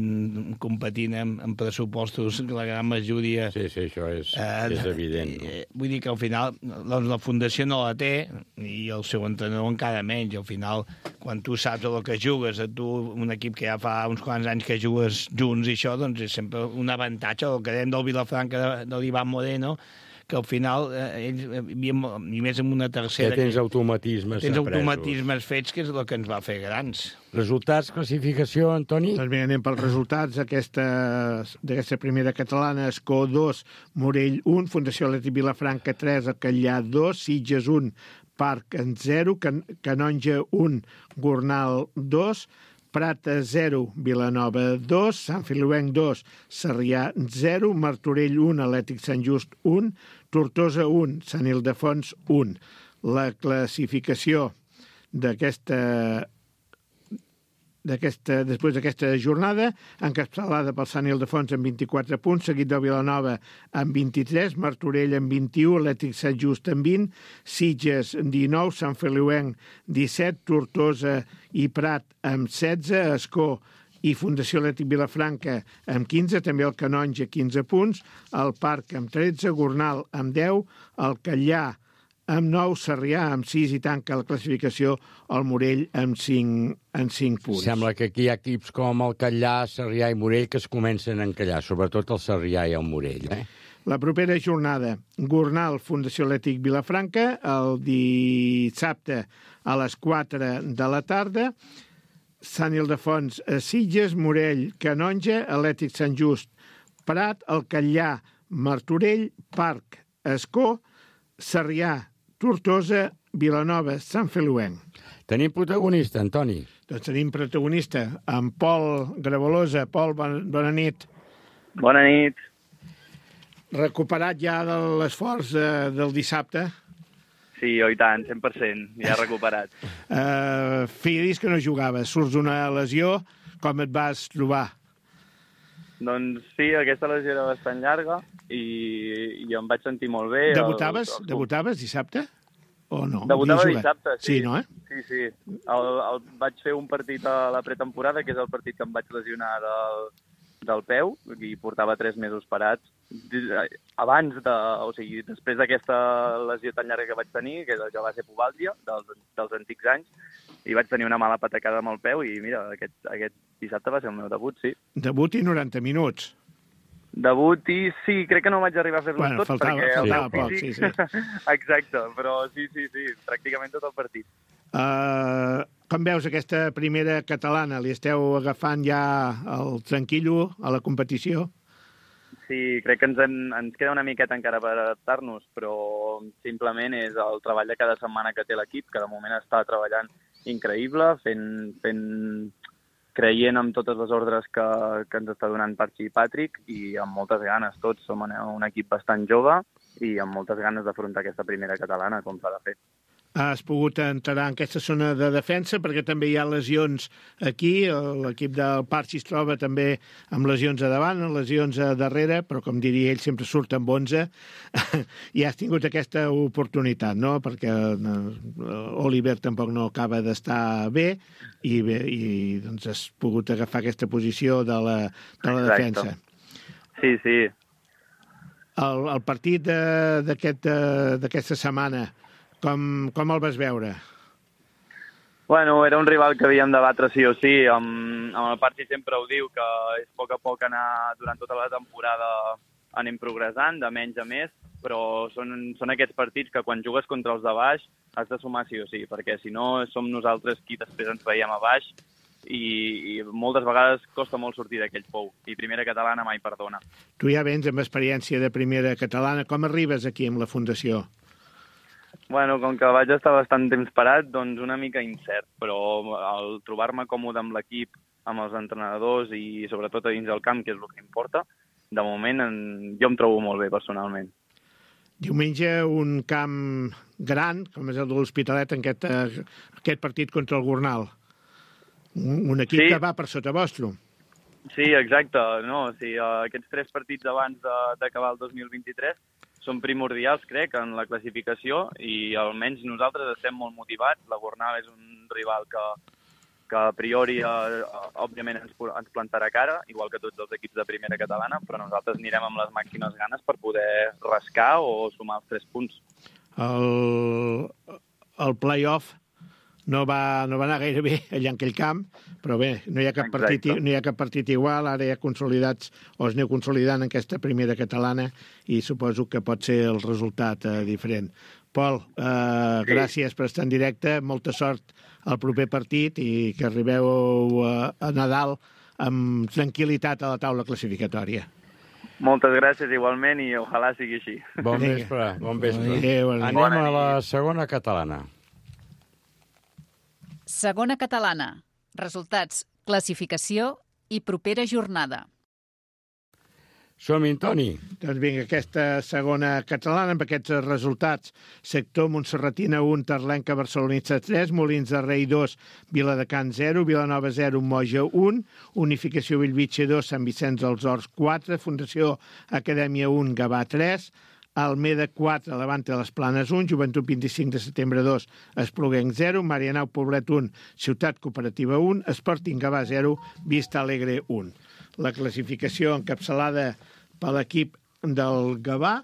competint amb, amb pressupostos que la gran majoria... Sí, sí, això és, eh, és evident. No? Eh, vull dir que al final doncs, la Fundació no la té i el seu entrenador encara menys. Al final, quan tu saps el que jugues, a tu, un equip que ja fa uns quants anys que jugues junts i això, doncs és sempre un avantatge. El que dèiem del Vilafranca de, de l'Ivan Moreno, que al final, eh, ells, i més en una tercera... Ja tens automatismes Tens apresos. automatismes fets, que és el que ens va fer grans. Resultats, classificació, Antoni? Doncs bé, anem pels resultats d'aquesta primera catalana. Escó dos, Morell un, Fundació Atlètic Vilafranca tres, Callà dos, Sitges un, Parc en zero, Can Canonja un, Gornal dos, Prata zero, Vilanova dos, Sant Feliuenc dos, Sarrià zero, Martorell un, Atlètic Sant Just un, Tortosa un, Sant Ildefons un. La classificació d'aquesta d'aquesta, després d'aquesta jornada, encapçalada pel Sant Ildefons amb vint-i-quatre punts, seguit del Vilanova amb vint-i-tres, Martorell amb vint-i-u, Atlètic Sant Just amb vint, Sitges dinou, Sant Feliuenc disset, Tortosa i Prat amb setze, Escó i Fundació Atlètic Vilafranca amb quinze, també el Canonja quinze punts, el Parc amb tretze, Gornal amb deu, el Catllà amb nou, Sarrià amb sis i tanca la classificació el Morell amb cinc, amb cinc punts. Sembla que aquí hi ha equips com el Catllà, Sarrià i Morell que es comencen a encallar, sobretot el Sarrià i el Morell. Eh? La propera jornada, Gornal, Fundació Atlètic Vilafranca, el dissabte a les quatre de la tarda, Sant Ildefons a Sitges, Morell, Canonja, Atlètic Sant Just, Prat, el Catllà, Martorell, Parc, Escó, Sarrià, Tortosa, Vilanova, Sant Feliuenc. Tenim protagonista, Antoni. Doncs tenim protagonista, en Pol Gravolosa. Pol, bon, bona nit. Bona nit. Recuperat ja de l'esforç eh, del dissabte? Sí, oh, i tant, cent per cent, ja recuperat. uh, feia dies que no jugaves, surts d'una lesió, com et vas trobar? Doncs sí, aquesta lesió era bastant llarga i, i em vaig sentir molt bé. Debutaves? El, el... Debutaves dissabte? O no? Debutava dissabte, sí. Sí, no, eh? Sí, sí. El, el, vaig fer un partit a la pretemporada, que és el partit que em vaig lesionar del, del peu, i portava tres mesos parats. Abans, de, o sigui, després d'aquesta lesió tan llarga que vaig tenir, que, que va ser pubàlgia, dels, dels antics anys, i vaig tenir una mala patacada amb el peu i, mira, aquest, aquest dissabte va ser el meu debut, sí. Debut i noranta minuts. Debut i sí, crec que no vaig arribar a fer-los bueno, tots, faltava, perquè el faltava meu poc, físic... sí, sí. Exacte, però sí, sí, sí, pràcticament tot el partit. Uh, com veus aquesta primera catalana? Li esteu agafant ja el tranquillo a la competició? Sí, crec que ens, en, ens queda una miqueta encara per adaptar-nos, però simplement és el treball de cada setmana que té l'equip, que de moment està treballant increïble, fent, fent creient en totes les ordres que, que ens està donant Parchi i Patrick i amb moltes ganes. Tots som un equip bastant jove i amb moltes ganes d'afrontar aquesta primera catalana, com s'ha de fer. Has pogut entrar en aquesta zona de defensa perquè també hi ha lesions aquí. L'equip del Parchi es troba també amb lesions a davant, lesions a darrere, però com diria ell, sempre surt amb onze. I has tingut aquesta oportunitat, no? Perquè Oliver tampoc no acaba d'estar bé i, bé, i doncs has pogut agafar aquesta posició de la, de la defensa. Sí, sí. El, el partit d'aquesta aquest, setmana, Com, com el vas veure? Bueno, era un rival que havíem de batre sí o sí. Amb, amb el Parchi sempre ho diu, que és a poc a poc anar durant tota la temporada anem progressant, de menys a més, però són, són aquests partits que quan jugues contra els de baix has de sumar sí o sí, perquè si no som nosaltres qui després ens veiem a baix i, i moltes vegades costa molt sortir d'aquell pou. I primera catalana mai perdona. Tu ja vens amb experiència de primera catalana. Com arribes aquí amb la Fundació? Bueno, com que vaig estar bastant temps parat, doncs una mica incert, però al trobar-me còmode amb l'equip, amb els entrenadors i sobretot a dins del camp, que és el que importa, de moment en... jo em trobo molt bé personalment. Diumenge un camp gran, com és el de l'Hospitalet, en aquest, aquest partit contra el Gornal. Un, un equip sí. que va per sota vostre. Sí, exacte. No, o sigui, aquests tres partits abans d'acabar el dos mil vint-i-tres són primordials, crec, en la classificació i almenys nosaltres estem molt motivats. La Gornal és un rival que, que a priori, eh, òbviament, ens, ens plantarà cara, igual que tots els equips de primera catalana, però nosaltres anirem amb les màximes ganes per poder rascar o sumar els tres punts. El, el play-off no va, no va anar gaire bé allà en aquell camp, però bé, no hi ha cap partit, no hi ha cap partit igual, ara ja consolidats, o es aneu consolidant en aquesta primera catalana i suposo que pot ser el resultat eh, diferent. Pol, eh, sí. gràcies per estar en directe, molta sort al proper partit i que arribeu a, a Nadal amb tranquil·litat a la taula classificatòria. Moltes gràcies igualment i ojalà sigui així. Bon vespre, bon vespre. Adéu, Anem a la segona catalana. Segona catalana. Resultats, classificació i propera jornada. Som-hi, Toni. Doncs vinga, aquesta segona catalana, amb aquests resultats. Sector Montserratina un, Terlenca Barcelonista tres, Molins de Rei dos, Viladecans zero, Vilanova zero, Moja un, Unificació Bellvitge dos, Sant Vicenç dels Horts quatre, Fundació Acadèmia un, Gavà tres, Almeda quatre, Levante de les Planes un, Joventut vint-i-cinc de setembre dos, Espluguenc zero, Marianao Poblet un, Ciutat Cooperativa un, Sporting Gavà zero, Vista Alegre un. La classificació encapçalada per l'equip del Gavà,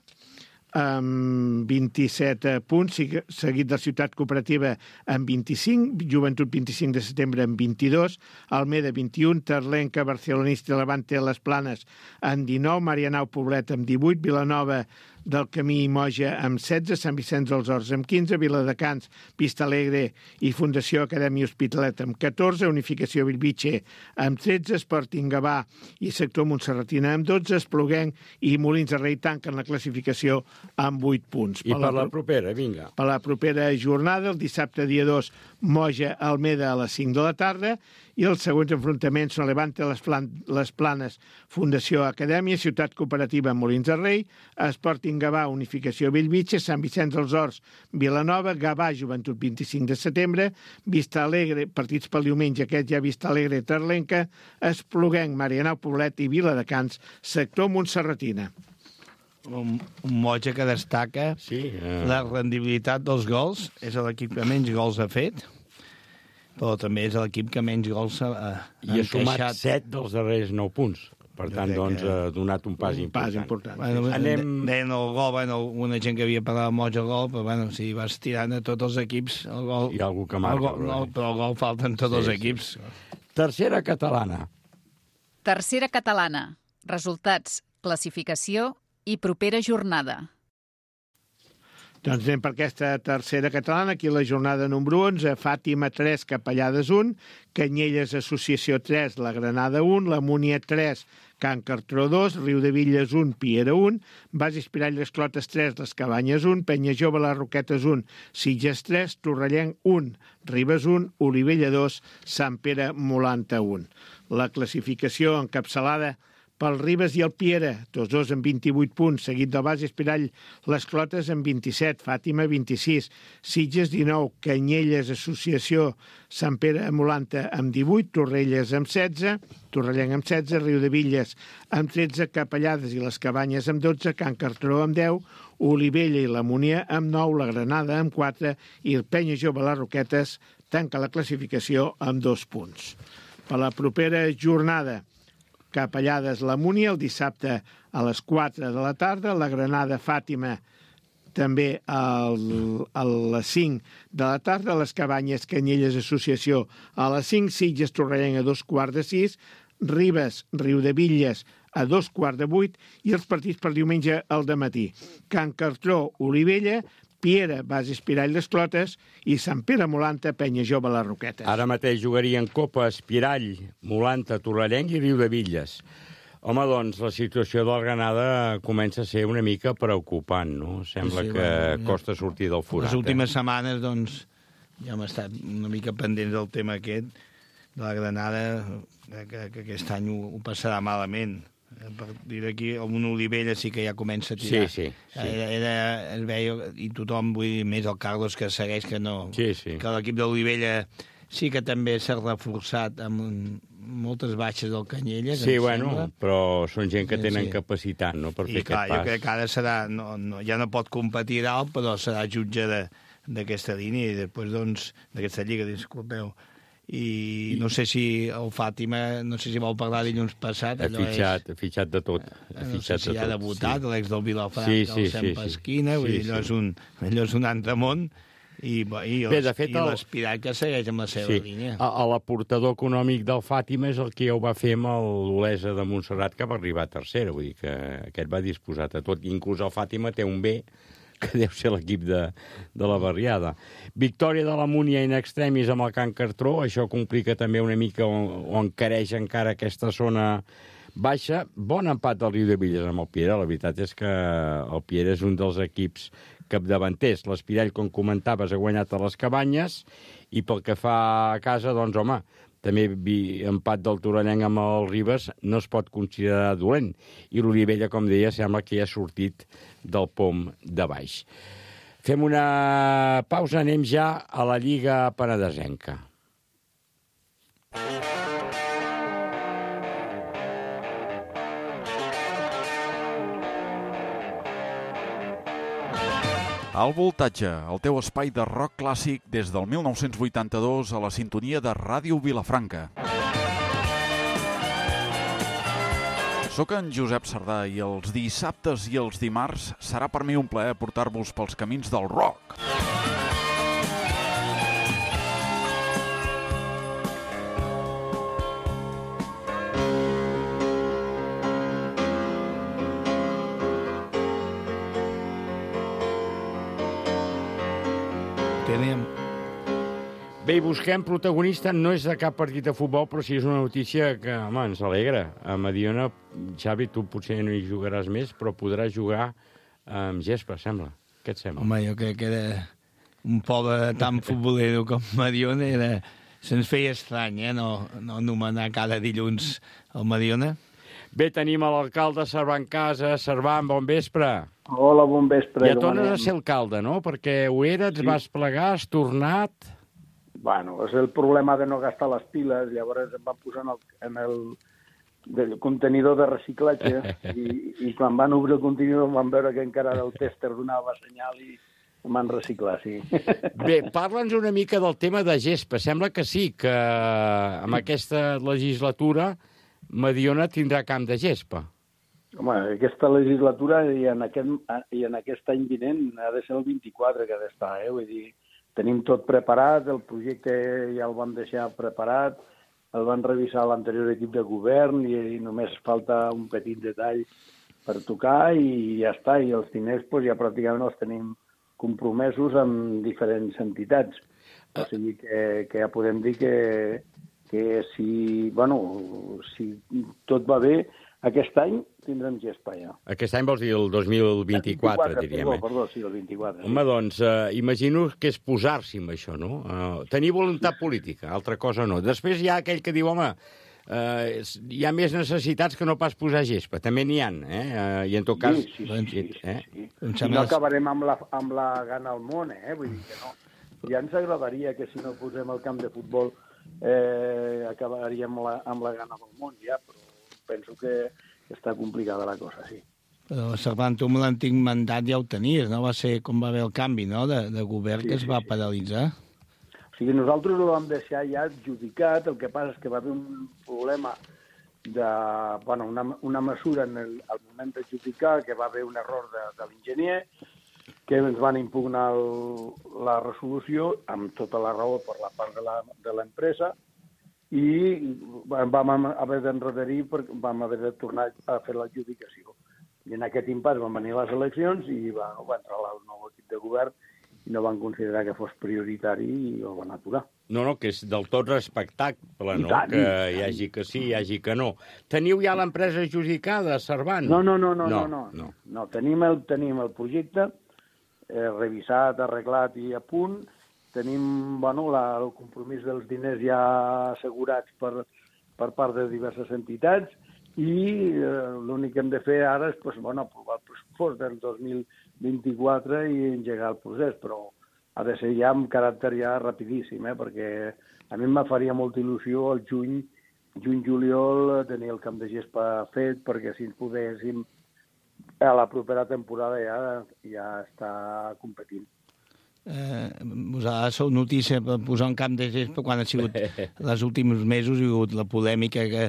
amb vint-i-set punts, seguit de Ciutat Cooperativa amb vint-i-cinc, Joventut vint-i-cinc de setembre amb vint-i-dos, Almeda vint-i-un, Terlenca, Barcelonista i Levante de les Planes amb dinou, Marianao Poblet amb divuit, Vilanova del Camí i Moja amb setze, Sant Vicenç dels Horts amb quinze, Viladecans, Vista Alegre i Fundació Acadèmia Hospitalet amb catorze, Unificació Bellvitge amb tretze, Sporting Gavà i Sector Montserratina amb dotze, Espluguenc i Molins de Rei tanquen la classificació amb vuit punts. I per, per la propera, vinga. Per la propera jornada, el dissabte dia dos, Moja Almeda a les cinc de la tarda, i els següents enfrontaments són Levante les, Plan les Planes, Fundació Acadèmia, Ciutat Cooperativa Molins de Rei, Sporting Gavà, Unificació Bellvitge, Sant Vicenç dels Horts, Vilanova, Gavà, Joventut vint-i-cinc de setembre, Vista Alegre, partits pel diumenge, aquest ja Vista Alegre, Terlenca, Espluguenc, Marianao Poblet i Viladecans, sector Montserratina. Un, un Moja que destaca sí, uh... la rendibilitat dels gols, és l'equip que menys gols ha fet, però també és l'equip que menys gols ha, ha I ha sumat set dels darrers nou punts. Per tant, doncs, ha que... donat un pas un important. Pas important. Bueno, Anem... Deien el gol, bueno, una gent que havia parlat de Moja el gol, però bueno, si vas tirant a tots els equips, el gol... Hi ha algú que marca. El gol, no, però el gol falten tots sí, els equips. Sí, sí. Tercera catalana. Tercera catalana. Resultats, classificació i propera jornada. Doncs anem per aquesta tercera catalana, aquí la jornada número onze, Fàtima tres, Capellades un, Canyelles Associació tres, La Granada un, La Múnia tres, Can Cartró dos, Riudevilles un, Piera un, Bases Pirall Les Clotes tres, Les Cabanyes un, Penya Jove Les Roquetes un, Sitges tres, Torrellenc un, Ribes un, Olivella dos, Sant Pere Molanta un. La classificació encapçalada pel Ribes i el Piera, tots dos amb vint-i-vuit punts, seguit del Bases Pirall Les Clotes amb vint-i-set, Fàtima vint-i-sis, Sitges dinou, Canyelles Associació Sant Pere Molanta amb divuit, Torrelles amb setze, Torrellenc amb setze, Riudevilles amb tretze, Capellades i Les Cabanyes amb dotze, Can Cartró amb deu, Olivella i la Múnia amb nou, La Granada amb quatre i el Penya Jove Les Roquetes tanca la classificació amb dos punts. Per la propera jornada, Capellades la Múnia, el dissabte a les quatre de la tarda, la Granada Fàtima també al, a les cinc de la tarda, les Cabanyes Canyelles Associació a les cinc, Sitges Torrellenc a dos quarts de sis, Ribes Riudevilles a dos quarts de vuit i els partits per diumenge al dematí. Can Cartró, Olivella, Piera, Bases Pirall Les Clotes i Sant Pere Molanta, Penya Jove Les Roquetes. Ara mateix jugarien Copa Espirall, Molanta, Torrellenc i Riudevilles. Home, doncs, la situació del Granada comença a ser una mica preocupant, no? Sembla sí, que bueno, costa sortir del forat. Les últimes eh? setmanes, doncs, ja hem estat una mica pendents del tema aquest, de la Granada, que, que aquest any ho, ho passarà malament. A partir d'aquí, un Olivella sí que ja comença a tirar. Sí, sí. sí. Era, era, es veia, i tothom, vull dir, més el Carlos que segueix que no. Sí, sí. Que l'equip d'Olivella sí que també s'ha reforçat amb un, moltes baixes del Canyelles. Sí, bueno, sembla. Però són gent que tenen sí. capacitat, no?, per I fer clar, aquest pas. Jo crec que ara serà, no, no, ja no pot competir dalt, però serà jutge d'aquesta línia i després, doncs, d'aquesta lliga, disculpeu. I no sé si el Fàtima, no sé si vol parlar dilluns passat. Ha fitxat, és... ha fitxat de tot. Ha no fitxat sé si de ha tot, debutat, sí. L'ex del Vilafranca, sí, sí, el Sant sí, Pasquina, sí. vull dir, sí, allò, sí. És un, allò és un altre món. I, i, Bé, de fet, el... l'Espiral que segueix amb la seva sí. línia. L'aportador econòmic del Fàtima és el que ja ho va fer amb l'Olesa de Montserrat, que va arribar a tercera. Vull dir que aquest va disposat a tot. I inclús el Fàtima té un B, que deu ser l'equip de, de la barriada. Victòria de la Múnia in extremis amb el Can Cartró, això complica també una mica o, o encareix encara aquesta zona baixa. Bon empat del Riudevilles amb el Piera, la veritat és que el Piera és un dels equips capdavanters. L'Espirall, com comentaves, ha guanyat a les Cabanyes i pel que fa a casa, doncs, home, també empat del Torellenc amb el Ribes, no es pot considerar dolent. I l'Olivella, com deia, sembla que ja ha sortit del pom de baix. Fem una pausa, anem ja a la Lliga Penedesenca. Al Voltatge, el teu espai de rock clàssic des del mil nou-cents vuitanta-dos a la sintonia de Ràdio Vilafranca. Soc en Josep Sardà i els dissabtes i els dimarts serà per mi un plaer portar-vos pels camins del rock. Tenim. Bé, busquem protagonista, no és de cap partit de futbol, però sí és una notícia que, home, ens alegra. A Mediona, Xavi, tu potser no hi jugaràs més, però podràs jugar amb gespa, sembla. Què et sembla? Home, jo crec que era un poble tan futbolero com Mediona, era... se'ns feia estrany, eh, no, no anomenar cada dilluns el Mediona. Bé, tenim a l'alcalde Servan Casa. Servan, bon vespre. Hola, bon vespre. Ja tornes a ser alcalde, no? Perquè ho eres, sí. Vas plegar, has tornat... Bueno, és el problema de no gastar les piles. Llavors em van posar en el, en el, el contenidor de reciclatge i, i quan van obrir el contenidor van veure que encara el tèster donava senyal i em van reciclar, sí. Bé, parla'ns una mica del tema de gespa. Sembla que sí, que amb aquesta legislatura Mediona tindrà camp de gespa. Home, aquesta legislatura i en aquest, i en aquest any vinent ha de ser el vint-i-quatre que ha d'estar, eh? Vull dir, tenim tot preparat, el projecte ja el vam deixar preparat, el van revisar l'anterior equip de govern i, i només falta un petit detall per tocar i ja està. I els diners pues, ja pràcticament els tenim compromesos amb diferents entitats. O sigui que, que ja podem dir que, que si, bueno, si tot va bé, aquest any tindrem gespa ja. Aquest any vols dir el dos mil vint-i-quatre, diríem. Perdó, perdó, sí, el vint-i-quatre. Home, sí. doncs, eh, imagino que és posar-s'hi amb això, no? Uh, tenir voluntat política, altra cosa no. Després hi ha aquell que diu, home, eh, hi ha més necessitats que no pas posar gespa. També n'hi ha, eh? Uh, I en tot cas... Sí, sí, sí. sí, sí, eh? sí. I no acabarem amb la, amb la gana al món, eh? Vull dir que no. Ja ens agradaria que si no posem el camp de futbol eh, acabaríem amb la, amb la gana del món, ja, però penso que està complicada la cosa, sí. Però, Servan, tu amb l'antic mandat ja ho tenies, no? Va ser com va haver el canvi, no?, de, de govern, sí, que es va sí, paralitzar. O sigui, nosaltres ho vam deixar ja adjudicat, el que passa és que va haver un problema de, bueno, una, una mesura en el, al moment d'adjudicar, que va haver un error de, de l'enginyer, que ens van impugnar el, la resolució amb tota la raó per la part de l'empresa, i vam haver d'enrederir perquè vam haver de tornar a fer l'adjudicació. I en aquest impàs van venir les eleccions i va, va entrar el nou equip de govern i no van considerar que fos prioritari i el van aturar. No, no, que és del tot respectable, no? tant, Que hi hagi que sí, hi hagi que no. Teniu ja l'empresa adjudicada, Servan? No, no, no, no, no, no. no. no tenim, el, tenim el projecte eh, revisat, arreglat i a punt. Tenim, bueno, la, el compromís dels diners ja assegurats per, per part de diverses entitats i eh, l'únic que hem de fer ara és pues, bueno, aprovar el pressupost del dos mil vint-i-quatre i engegar el procés, però ha de ser ja amb caràcter ja rapidíssim, eh, perquè a mi em faria molta il·lusió el juny, juny-juliol, tenir el camp de gespa fet, perquè si ens podéssim a la propera temporada ja, ja està competint. Eh, vosaltres sou notícia per posar un camp de gespa quan ha sigut els últims mesos hi ha hagut la polèmica que,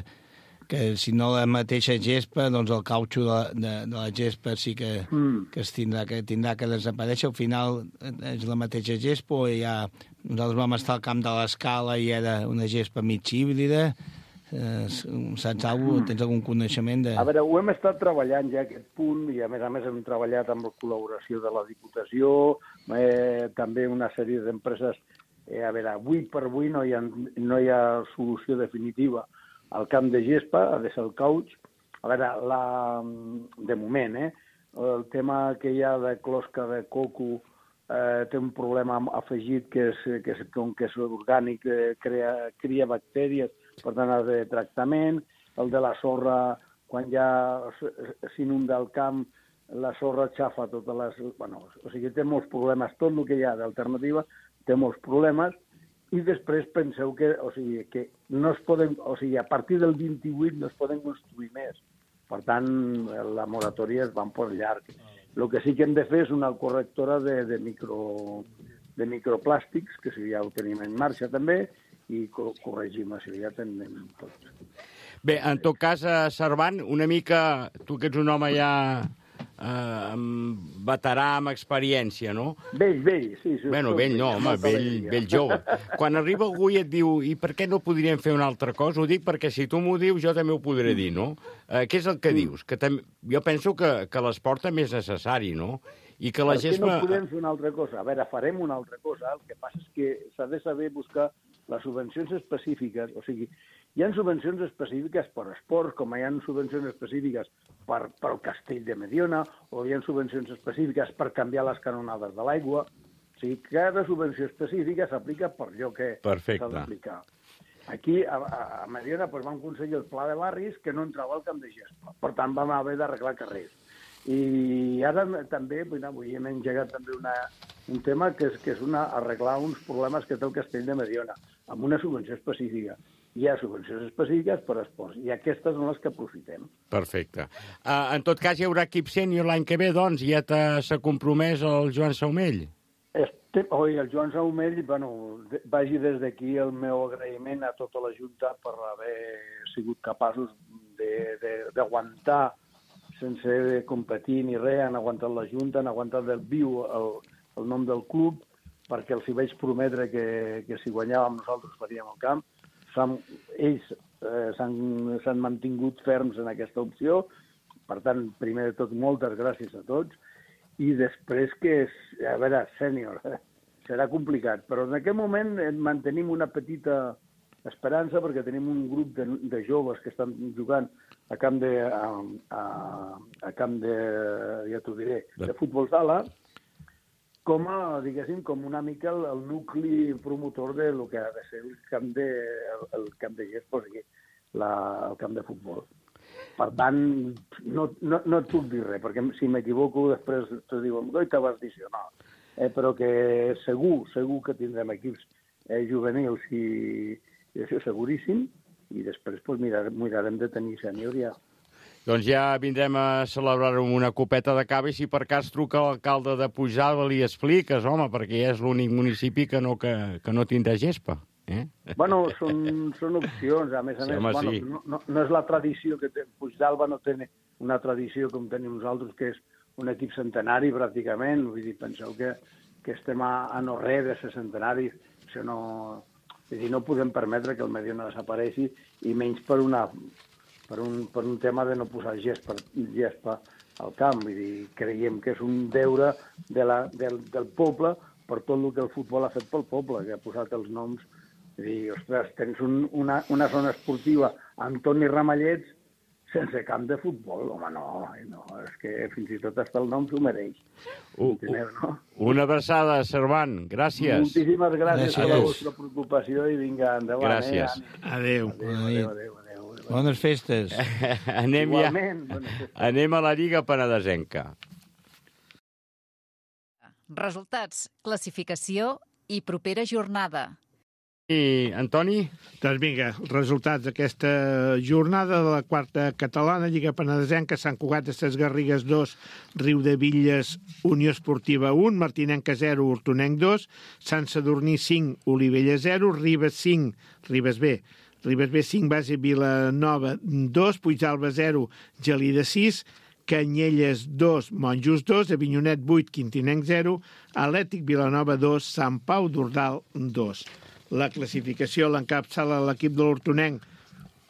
que si no la mateixa gespa, doncs el cautxo de, de, de la gespa sí que, mm. que, es tindrà, que tindrà que desaparèixer. Al final és la mateixa gespa o ja nosaltres vam estar al camp de l'Escala i era una gespa mig híbrida. Eh, saps alguna cosa? Tens algun coneixement de... A veure, ho hem estat treballant ja aquest punt i a més a més hem treballat amb la col·laboració de la Diputació, eh, també una sèrie d'empreses. Eh, a veure, avui per avui no hi ha, no hi ha solució definitiva al camp de gespa, ha de ser el cauch. A veure, la, de moment, eh, el tema que hi ha de closca de coco eh, té un problema afegit que és que, és, com que és orgànic, eh, crea, cria bactèries, per tant ha de tractament. El de la sorra, quan ja s'inunda el camp, la sorra xafa totes les... Bueno, o sigui, té molts problemes. Tot el que hi ha d'alternativa té molts problemes. I després penseu que, o sigui, que no es poden, o sigui, a partir del vint-i-vuit no es poden construir més. Per tant, la moratòria es van per llarg. El que sí que hem de fer és una correctora de, de, micro, de microplàstics, que si ja ho tenim en marxa també, i corregim, si ja tenim tot. Bé, en tot cas, Servant, una mica, tu que ets un home ja... Uh, veterà amb experiència, no? Vell, vell, sí. sí bueno, vell no, home, vell, vell jove. Quan arriba algú i et diu i per què no podríem fer una altra cosa? Ho dic perquè si tu m'ho dius jo també ho podré dir, no? Uh, què és el que dius? Que tam... Jo penso que, que l'esport també és necessari, no? I que la per què gespa... no podem fer una altra cosa? A veure, farem una altra cosa. El que passa és que s'ha de saber buscar les subvencions específiques, o sigui, hi ha subvencions específiques per esports, com hi ha subvencions específiques per, per el castell de Mediona, o hi ha subvencions específiques per canviar les canonades de l'aigua. O sigui, cada subvenció específica s'aplica per allò que s'ha d'aplicar. Aquí, a, a Mediona, doncs, vam aconseguir el pla de barris que no entrava al camp de gespa. Per tant, vam haver d'arreglar carrers. I ara també, bueno, avui hem engegat també una, un tema que és, que és una, arreglar uns problemes que té el castell de Mediona, amb una subvenció específica. Hi ha subvencions específiques per esports, i aquestes són les que aprofitem. Perfecte. Uh, en tot cas, hi haurà equip sènior l'any que ve, doncs, ja s'ha compromès el Joan Saumell? Este, oi, el Joan Saumell, bueno, vagi des d'aquí el meu agraïment a tota la Junta per haver sigut capaços d'aguantar sense competir ni res, han aguantat la Junta, han aguantat del viu el, el nom del club, perquè els hi vaig prometre que, que si guanyàvem nosaltres faríem el camp. Ells eh, s'han mantingut ferms en aquesta opció, per tant, primer de tot, moltes gràcies a tots, i després que és, a veure, sènior, eh, serà complicat, però en aquest moment mantenim una petita esperança perquè tenim un grup de, de joves que estan jugant a camp de, a, a, a camp de, ja t'ho diré, de futbol sala, com a, diguéssim, com una mica el, el nucli promotor de lo que ha de ser el camp de, el, el camp de gespa, o sigui, la, el camp de futbol. Per tant, no, no, no et puc dir res, perquè si m'equivoco després te diuen, oi, te vas dir això, no. Eh, però que segur, segur que tindrem equips eh, juvenils i, i això seguríssim, i després pues, mirar, mirarem de tenir sènior ja. Doncs ja vindrem a celebrar amb una copeta de cava i si per cas truca l'alcalde de Pujalt li expliques, home, perquè ja és l'únic municipi que no, que, que no tindrà gespa. Eh? Bueno, són, són opcions, a més a sí, més, home, bueno, sí. no, no, no és la tradició que té, Puigdàlber no té una tradició com tenim nosaltres, que és un equip centenari pràcticament, vull dir, penseu que, que estem a, a no res de ser centenaris, això no... És dir, no podem permetre que el Mediona desapareixi, i menys per, una, per, un, per un tema de no posar gespa, gespa al camp. Vull dir, creiem que és un deure de la, del, del poble per tot el que el futbol ha fet pel poble, que ha posat els noms. Vull dir, ostres, tens un, una, una zona esportiva amb Toni Ramallets sense camp de futbol. Home, no, no, és que fins i tot hasta el nom s'ho mereix. Uh, Enteneu, no? Una abraçada, Servant. Gràcies. Moltíssimes gràcies, gràcies per la vostra preocupació i vinga, endavant. Gràcies. Eh? Adéu. Adéu, adéu, adéu, adéu, adéu. Bones festes. Anem, Igualment, ja... bones festes. Anem a la Lliga Penedesenca. Resultats, classificació i propera jornada. I, Antoni? Doncs vinga, els resultats d'aquesta jornada de la quarta catalana, Lliga Penedesenca, Sant Cugat de Ses Garrigues dos, Riudebitlles, Unió Esportiva un, Martinenca zero, Hortonenc dos, Sant Sadurní cinc, Olivella zero, Ribes cinc, Ribes B, Ribes B cinc, Base Vilanova dos, Puigdàlber zero, Gelida sis, Canyelles dos, Monjos dos, Avinyonet vuit, Quintinenc zero, Atlètic Vilanova dos, Sant Pau d'Ordal dos. La classificació l'encapçala l'equip de l'Hortonenc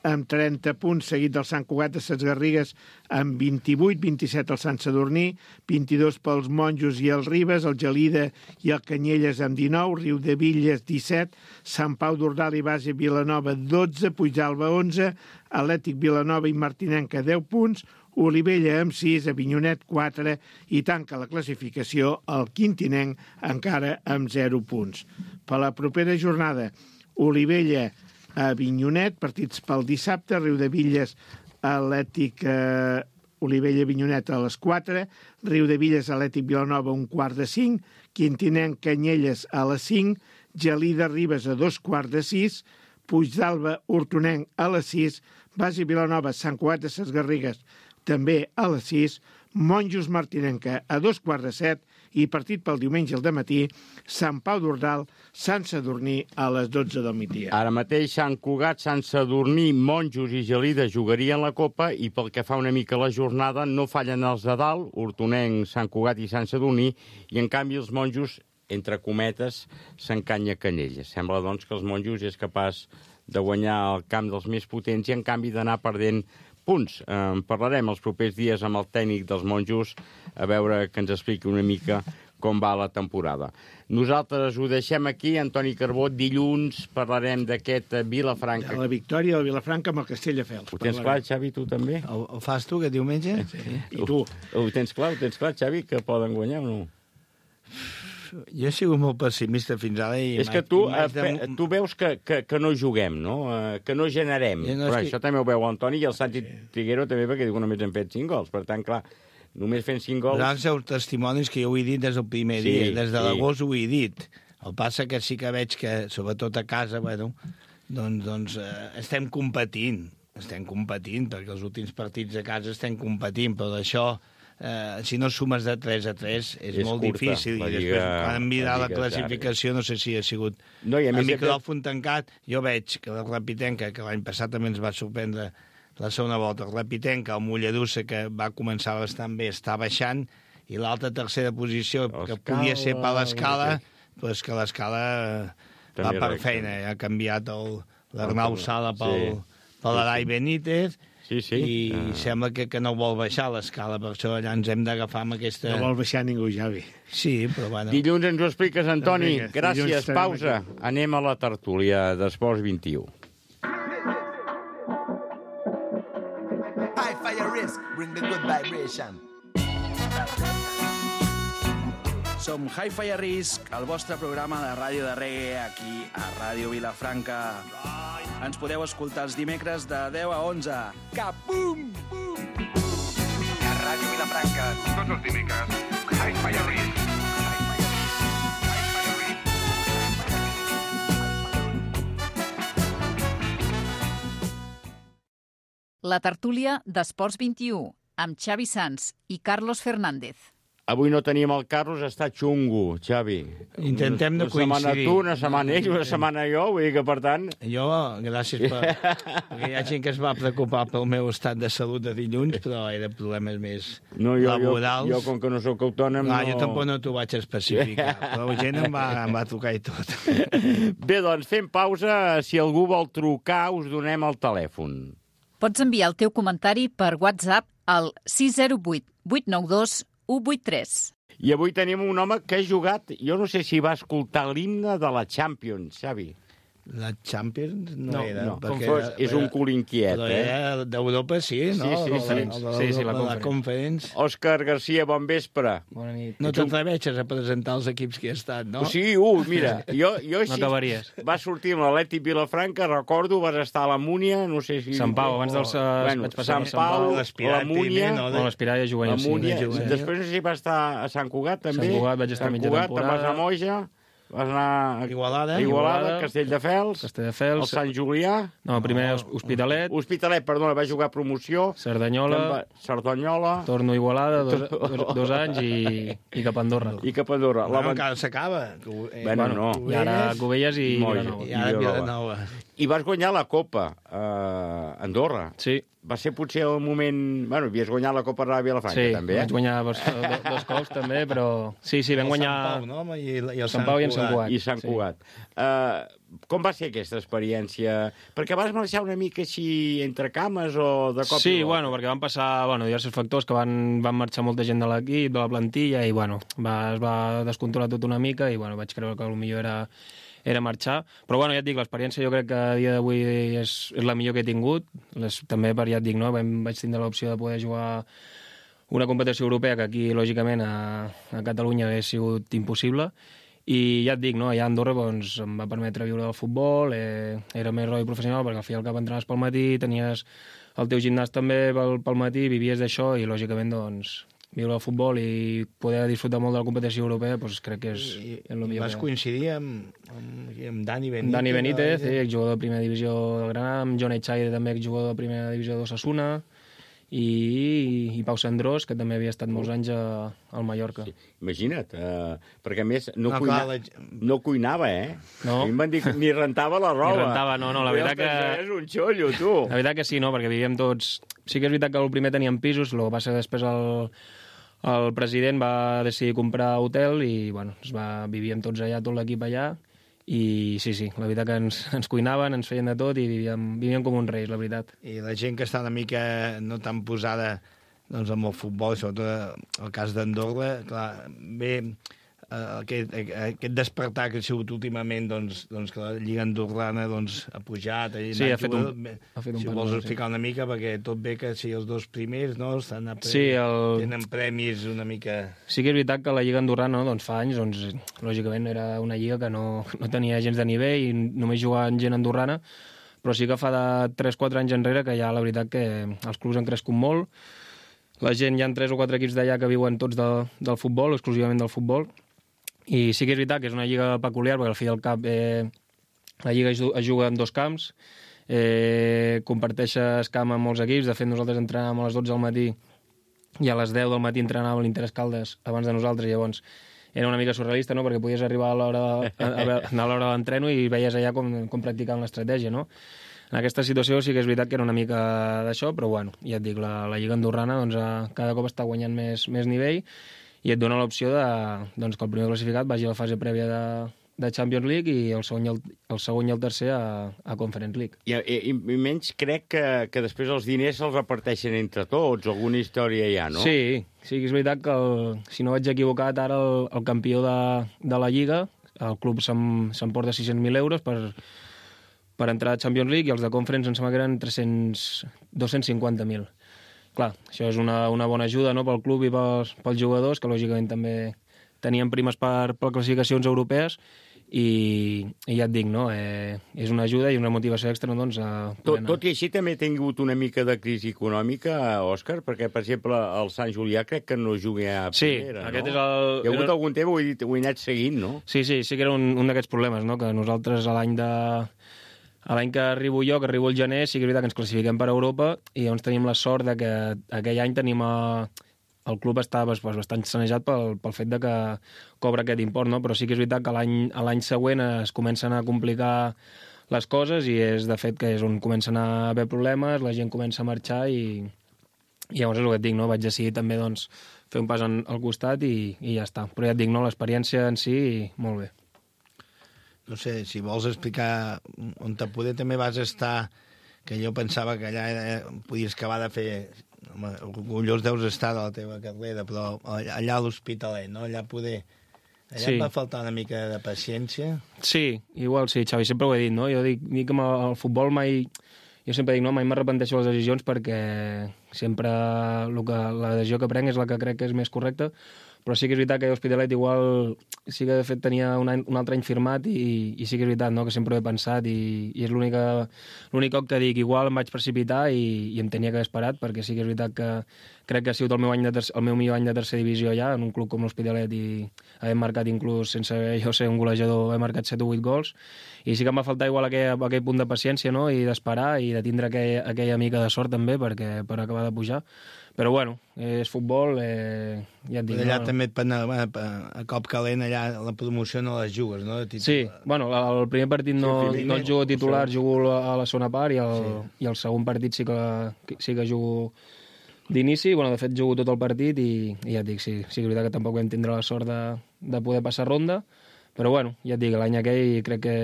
amb trenta punts, seguit del Sant Cugat de Ses Garrigues amb vint-i-vuit, vint-i-set el Sant Sadurní, vint-i-dos pels Monjos i el Ribes, el Gelida i el Canyelles amb dinou, Riudevilles disset, Sant Pau d'Ordal i Base Vilanova dotze, Puigdàlber onze, Atlètic Vilanova i Martinenca deu punts, Olivella amb sis, Avinyonet quatre i tanca la classificació el Quintinenc encara amb zero punts. Per la propera jornada, Olivella a Avinyonet, partits pel dissabte, Riudevilles, Atlètic, eh, Olivella, Avinyonet a les quatre, Riudevilles, Atlètic, Vilanova, un quart de cinc, Quintinenc, Canyelles a les cinc, Gelida, Ribes a dos quarts de sis, Puigdàlber, Hortonenc a les sis, Base Vilanova, Sant Cugat de Ses Garrigues també a les sis, Monjos, Martinenca a dos quarts de set i partit pel diumenge al dematí, Sant Pau d'Ordal, Sant Sadurní a les dotze del migdia. Ara mateix Sant Cugat, Sant Sadurní, Monjos i Gelida jugarien la Copa i pel que fa una mica la jornada no fallen els de dalt, Hortonenc, Sant Cugat i Sant Sadurní, i en canvi els Monjos, entre cometes, s'encanya Canyelles. Sembla, doncs, que els Monjos és capaç de guanyar el camp dels més potents i, en canvi, d'anar perdent punts. En parlarem els propers dies amb el tècnic dels Monjos a veure que ens expliqui una mica com va la temporada. Nosaltres ho deixem aquí. Antoni Carbó, dilluns parlarem d'aquest Vilafranca. De la victòria del Vilafranca amb el Castelldefels. Ho tens clar, Xavi, tu també? Ho, ho fas tu, aquest diumenge? Sí. I tu? Ho, ho tens clar, ho tens clar, Xavi, que poden guanyar o no? Jo he sigut molt pessimista fins ara. I és que tu, de... tu veus que, que, que no juguem, no? Que no generem. No, però que... això també ho veu Antoni i el Santi sí. Triguero també, perquè diu que només hem fet cinc gols. Per tant, clar, només fent cinc gols... Però els testimonis que jo ho he dit des del primer sí, dia, des de sí. l'agost ho he dit. El passa que sí que veig que, sobretot a casa, bueno, doncs, doncs eh, estem competint. Estem competint, perquè els últims partits a casa estem competint, però d'això... Eh, si no sumes de tres a tres és, és molt curta, difícil i després quan em mirar la, la classificació no sé si ha sigut no, a, a micròfon que... tancat. Jo veig que la Rapitenca, que l'any passat també ens va sorprendre la segona volta, la Rapitenca, el Mollerussa, que va començar bastant bé, està baixant, i l'altra tercera posició, que podia ser per l'escala, però és que l'escala va per feina, ha canviat l'Arnau Sala pel, sí. per l'Arai Benítez. Sí, sí. I uh... sembla que, que no vol baixar l'escala, per això allà ens hem d'agafar amb aquesta... No vol baixar ningú, Javi. Sí, però bueno... Dilluns ens ho expliques, Antoni. Doncs gràcies, pausa. Aquí. Anem a la tertúlia d'Esports vint-i-u. High fire risk, bring the good vibration. Som Hi-Fi a Risk, el vostre programa de ràdio de reggae aquí a Ràdio Vilafranca. Ens podeu escoltar els dimecres de deu a onze. Capum! A Ràdio Vilafranca, tots els dimecres. Hi-Fi a Risk. La tertúlia d'Esports vint-i-u, amb Xavi Sans i Carlos Fernández. Avui no tenim el Carlos, està xungo, Xavi. Intentem de coincidir. Una setmana tu, una setmana ell, una setmana jo, vull dir que, per tant... Jo, gràcies per... perquè hi ha gent que es va preocupar pel meu estat de salut de dilluns, però era problemes més no, jo, laborals. Jo, jo, com que no sóc autònom... No, no... Jo tampoc no t'ho vaig especificar, però la gent em va, em va trucar i tot. Bé, doncs, fem pausa. Si algú vol trucar, us donem el telèfon. Pots enviar el teu comentari per WhatsApp al sis zero vuit, vuit nou dos, u vuit tres. I avui tenim un home que ha jugat, jo no sé si va escoltar l'himne de la Champions, Xavi. La Champions no, no era. No, com fos, és un cul inquiet, però eh? Era d'Europa, sí, no? Sí, sí, sí. La, sí, sí, la, la Conference. Òscar Garcia, bon vespre. Bona nit. No t'atreveixes a presentar els equips que hi ha estat, no? Sí, uh, mira, jo, jo així... No acabaries. Va sortir amb l'Atlètic Vilafranca, recordo, vas estar a la Múnia, no sé si... Sant Pau, abans dels... Uh, bueno, Sant Pau, la Múnia... No, de... l'Espiralla juvenil, la Múnia, sí. Després no sé si va estar a Sant Cugat, també. Sant Cugat, vaig estar mitja temporada. Sant Cugat, vas a Moja... Vas anar a Igualada, Igualada, Castelldefels, Castelldefels, el Sant Julià... No, primer Hospitalet. Hospitalet, perdona, va jugar promoció. Cerdanyola. Cerdanyola. Torno a Igualada, dos, dos, dos anys i, i cap a Andorra. I cap a Andorra. Bueno, encara s'acaba. Bueno, no. I ara Cubelles i Moja. Vilanova. I ara Vilanova. I vas guanyar la Copa a Andorra. Sí. Va ser potser el moment... Bueno, havies guanyat la Copa a Vilafranca, sí, també, eh? Sí, vaig guanyar dos, dos cops, també, però... Sí, sí, vam guanyar... Sant Pau, no? I, i el Sant Pau i en Sant Cugat. I Sant Cugat. Sí. Uh, com va ser aquesta experiència? Perquè vas marxar una mica així entre cames o de cop sí, i volta? bueno, perquè van passar bueno, diversos factors que van, van marxar molta gent de l'equip, de la plantilla, i bueno, va, es va descontrolar tot una mica i bueno, vaig creure que el millor era... era marxar, però bueno, ja et dic, l'experiència jo crec que a dia d'avui és, és la millor que he tingut, Les, també per, ja et dic, no? Vam, vaig tindre l'opció de poder jugar una competició europea que aquí, lògicament, a, a Catalunya hagués sigut impossible, i ja et dic, no? Allà a Andorra doncs, em va permetre viure del futbol, eh, era més roi professional, perquè al fi i al cap entrenaves pel matí, tenies el teu gimnàs també pel, pel matí, vivies d'això, i lògicament, doncs, viure el futbol i poder disfrutar molt de la competició europea, doncs crec que és, I, és el millor. vas que... coincidir amb, amb, amb Dani Benítez. Dani Benítez, sí, exjugador de primera divisió del Granada, amb John Echaide, també exjugador de primera divisió d'Osasuna, i, i Pau Sandrós, que també havia estat molts anys a, al Mallorca. Sí, imagina't, uh, perquè a més no, No, cuina... clar, la- no cuinava, eh? No. A mi em van dir que ni rentava la roba. Ni rentava, no, no, la veritat que... És un xollo, tu. La veritat que sí, no, perquè vivíem tots... Sí que és veritat que el primer teníem pisos, el que passa després el, el president va decidir comprar hotel i, bueno, es va, vivíem tots allà, tot l'equip allà, i sí, sí, la veritat que ens, ens cuinaven, ens feien de tot i vivíem, vivíem com uns reis, la veritat. I la gent que està una mica no tan posada doncs, amb el futbol, sobretot el cas d'Andorra, clar, bé, eh, aquest, aquest despertar que ha sigut últimament, doncs, doncs que la Lliga Andorrana doncs, ha pujat. Ha sí, ha fet un, jugador, ha fet un si pas vols molt, explicar sí. una mica, perquè tot bé que si els dos primers no, estan a pre... Sí, el... tenen premis una mica... Sí que és veritat que la Lliga Andorrana, no, doncs fa anys, doncs, lògicament era una lliga que no, no tenia gens de nivell i només jugaven gent andorrana, però sí que fa de tres quatre anys enrere que ja la veritat que els clubs han crescut molt. La gent, hi ha tres o quatre equips d'allà que viuen tots de, del futbol, exclusivament del futbol, i sí que és veritat que és una lliga peculiar, perquè al fi i al cap eh, la lliga es, es juga en dos camps, eh, comparteixes camp amb molts equips, de fet nosaltres entrenàvem a les dotze del matí i a les deu del matí entrenava l'Interès Caldes abans de nosaltres, llavors era una mica surrealista, no?, perquè podies arribar a l'hora a, a, a l'hora de l'entreno i veies allà com, com practicaven l'estratègia, no? En aquesta situació sí que és veritat que era una mica d'això, però bueno, ja et dic, la, la Lliga Andorrana doncs, cada cop està guanyant més, més nivell i et dona l'opció de, doncs, que el primer classificat vagi a la fase prèvia de, de Champions League i el segon i el, el, segon i el tercer a, a Conference League. I, i, I menys crec que, que després els diners se'ls reparteixen entre tots, alguna història hi ha, no? Sí, sí que és veritat que, el, si no vaig equivocat, ara el, el campió de, de la Lliga, el club s'emporta sis-cents mil euros per, per entrar a Champions League i els de Conference em sembla que eren tres-cents, dos-cents cinquanta mil. Clar, això és una, una bona ajuda, no?, pel club i pels, pels jugadors, que lògicament també tenien primes per, per classificacions europees, i, i ja et dic, no?, eh, és una ajuda i una motivació extra, doncs, a tot, tot i així també ha tingut una mica de crisi econòmica, Òscar, perquè, per exemple, el Sant Julià crec que no juga a primera, sí, aquest no? És el... Hi ha hagut algun tema, ho he, ho he anat seguint, no? Sí, sí, sí que era un, un d'aquests problemes, no?, que nosaltres a l'any de... A l'any que arribo jo, que arribo al gener, sí que és veritat que ens classifiquem per Europa i llavors tenim la sort de que aquell any tenim a... el club està pues, bastant sanejat pel, pel fet de que cobra aquest import, no? Però sí que és veritat que l'any l'any següent es comencen a complicar les coses i és de fet que és on comencen a haver problemes, la gent comença a marxar i, i llavors és el que et dic, no? Vaig decidir també doncs, fer un pas en, al costat i, i ja està. Però ja et dic, no? L'experiència en si, molt bé. No sé, si vols explicar on te poder també vas estar, que jo pensava que allà eh, podies acabar de fer... Home, orgullós deus estar de la teva carrera, però allà a l'Hospitalet, no? Allà poder... Allà sí. Et va faltar una mica de paciència? Sí, igual sí, Xavi, sempre ho he dit, no? Jo dic, dic que el futbol mai... Jo sempre dic, no, mai m'arrepenteixo de les decisions perquè sempre el que, la decisió que prenc és la que crec que és més correcta, però sí que és veritat que l'Hospitalet igual sí que de fet tenia un, any, un altre any firmat i, i sí que és veritat, no?, que sempre ho he pensat i, i és l'únic cop que dic, igual em vaig precipitar i, i em tenia que haver esperat, perquè sí que és veritat que crec que ha sigut el meu, any de tercer, el meu millor any de tercera divisió ja, en un club com l'Hospitalet i haver marcat inclús, sense jo ser un golejador, he marcat set o vuit gols i sí que em va faltar igual aquell, aquell punt de paciència, no?, i d'esperar i de tindre aquell, aquella mica de sort també perquè per acabar de pujar. Però, bueno, és futbol, eh, ja et dic... Allà no? també et pen, a, a cop calent, allà la promoció no les jugues, no? Sí, bueno, el primer partit no, sí, no el jugo titular, jugo a la segona part, i el, sí. i el segon partit sí que, sí que jugo d'inici. Bueno, de fet, jugo tot el partit i, i ja et dic, sí, sí que és veritat que tampoc vam tindre la sort de, de poder passar ronda, però, bueno, ja et dic, l'any aquell crec que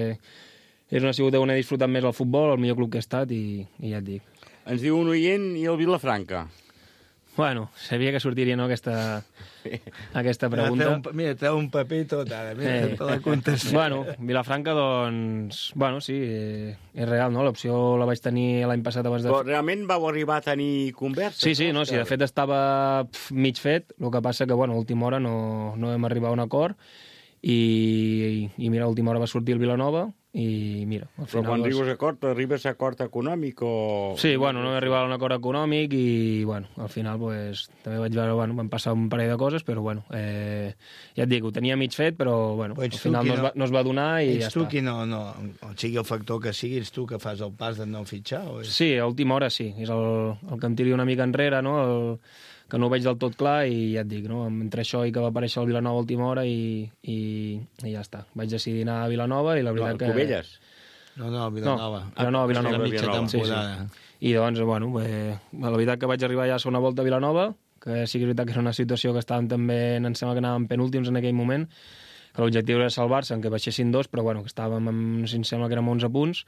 és una sigut on he disfrutat més el futbol, el millor club que he estat, i, i ja et dic. Ens diu un oient i el Vilafranca. Bueno, sabia que sortiria, no, aquesta, aquesta pregunta. Un, mira, treu un paper i tot, ara. Mira, eh. la contestar. Bueno, Vilafranca, doncs... Bueno, sí, eh, és real, no? L'opció la vaig tenir l'any passat abans de... Però realment vau arribar a tenir conversa? Sí, sí, no, sí, de fet estava pf, mig fet, el que passa que, bueno, a última hora no, no vam arribar a un acord, i, i, i mira, a última hora va sortir el Vilanova, i mira, al final... Però quan arribes a acord, arribes a acord econòmic o...? Sí, bueno, no vam arribar a un acord econòmic i, bueno, al final, pues, també vaig veure, bueno, van passar un parell de coses, però, bueno, eh, ja et dic, ho tenia mig fet, però, bueno, al final no, no, es va, no es va donar i ja està. Ets tu qui no, no, o sigui el factor que sigui, ets tu que fas el pas de no fitxar? O és... Sí, a última hora sí, és el, el que em tiri una mica enrere, no?, el... que no ho veig del tot clar, i ja et dic, no? Entre això i que va aparèixer el Vilanova a última hora i, i, i ja està. Vaig decidir anar a Vilanova i la veritat no, que... Cubelles? No, no, Vilanova. No, Vilanova, Vilanova. La mitja temporada. Sí, sí. I doncs, bueno, eh, la veritat que vaig arribar ja a segona volta a Vilanova, que sí que és veritat que era una situació que estàvem també, em sembla que anàvem penúltims en aquell moment, que l'objectiu era salvar-se, en què baixessin dos, però bueno, que estàvem, amb, si em sembla que érem onze punts,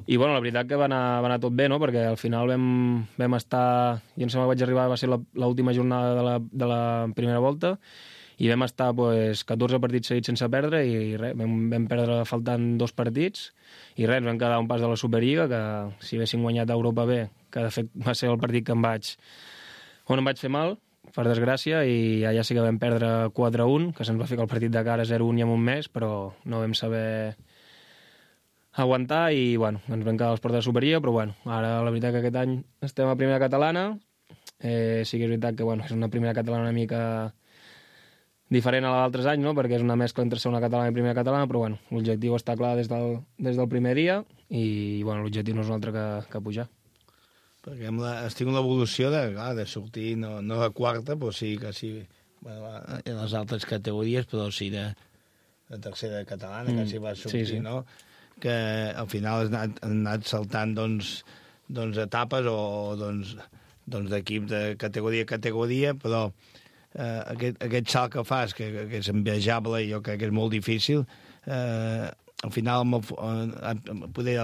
i bueno, la veritat que va anar, va anar tot bé, no?, perquè al final vam, vam estar, jo em sembla que vaig arribar, va ser l'última jornada de la, de la primera volta, i vam estar pues, catorze partits seguits sense perdre, i res, vam, vam perdre faltant dos partits, i res, ens vam quedar un pas de la Superliga, que si haguéssim guanyat a Europa B, que de fet va ser el partit que em vaig, on em vaig fer mal, per desgràcia, i allà sí que vam perdre quatre a un, que se'ns va ficar el partit de cara zero a un i amb un mes, però no vam saber aguantar i, bueno, ens vam quedar a les portes de Superliga, però, bueno, ara la veritat que aquest any estem a primera catalana, eh, sí que és veritat que, bueno, és una primera catalana una mica diferent a l'altres anys, no?, perquè és una mescla entre segona catalana i primera catalana, però, bueno, l'objectiu està clar des del, des del primer dia i, bueno, l'objectiu no és un altre que, que pujar. Perquè la, has tingut l'evolució de, clar, de sortir, no, no de quarta, però sí que sí, bueno, en les altres categories, però sí de, de tercera catalana, mm, que sí va sortir, sí, sí. No?, que al final has anat, has anat saltant, doncs, doncs etapes o, doncs, doncs d'equip de categoria a categoria, però eh, aquest, aquest salt que fas, que, que és envejable i jo crec que és molt difícil, eh, al final eh, poder,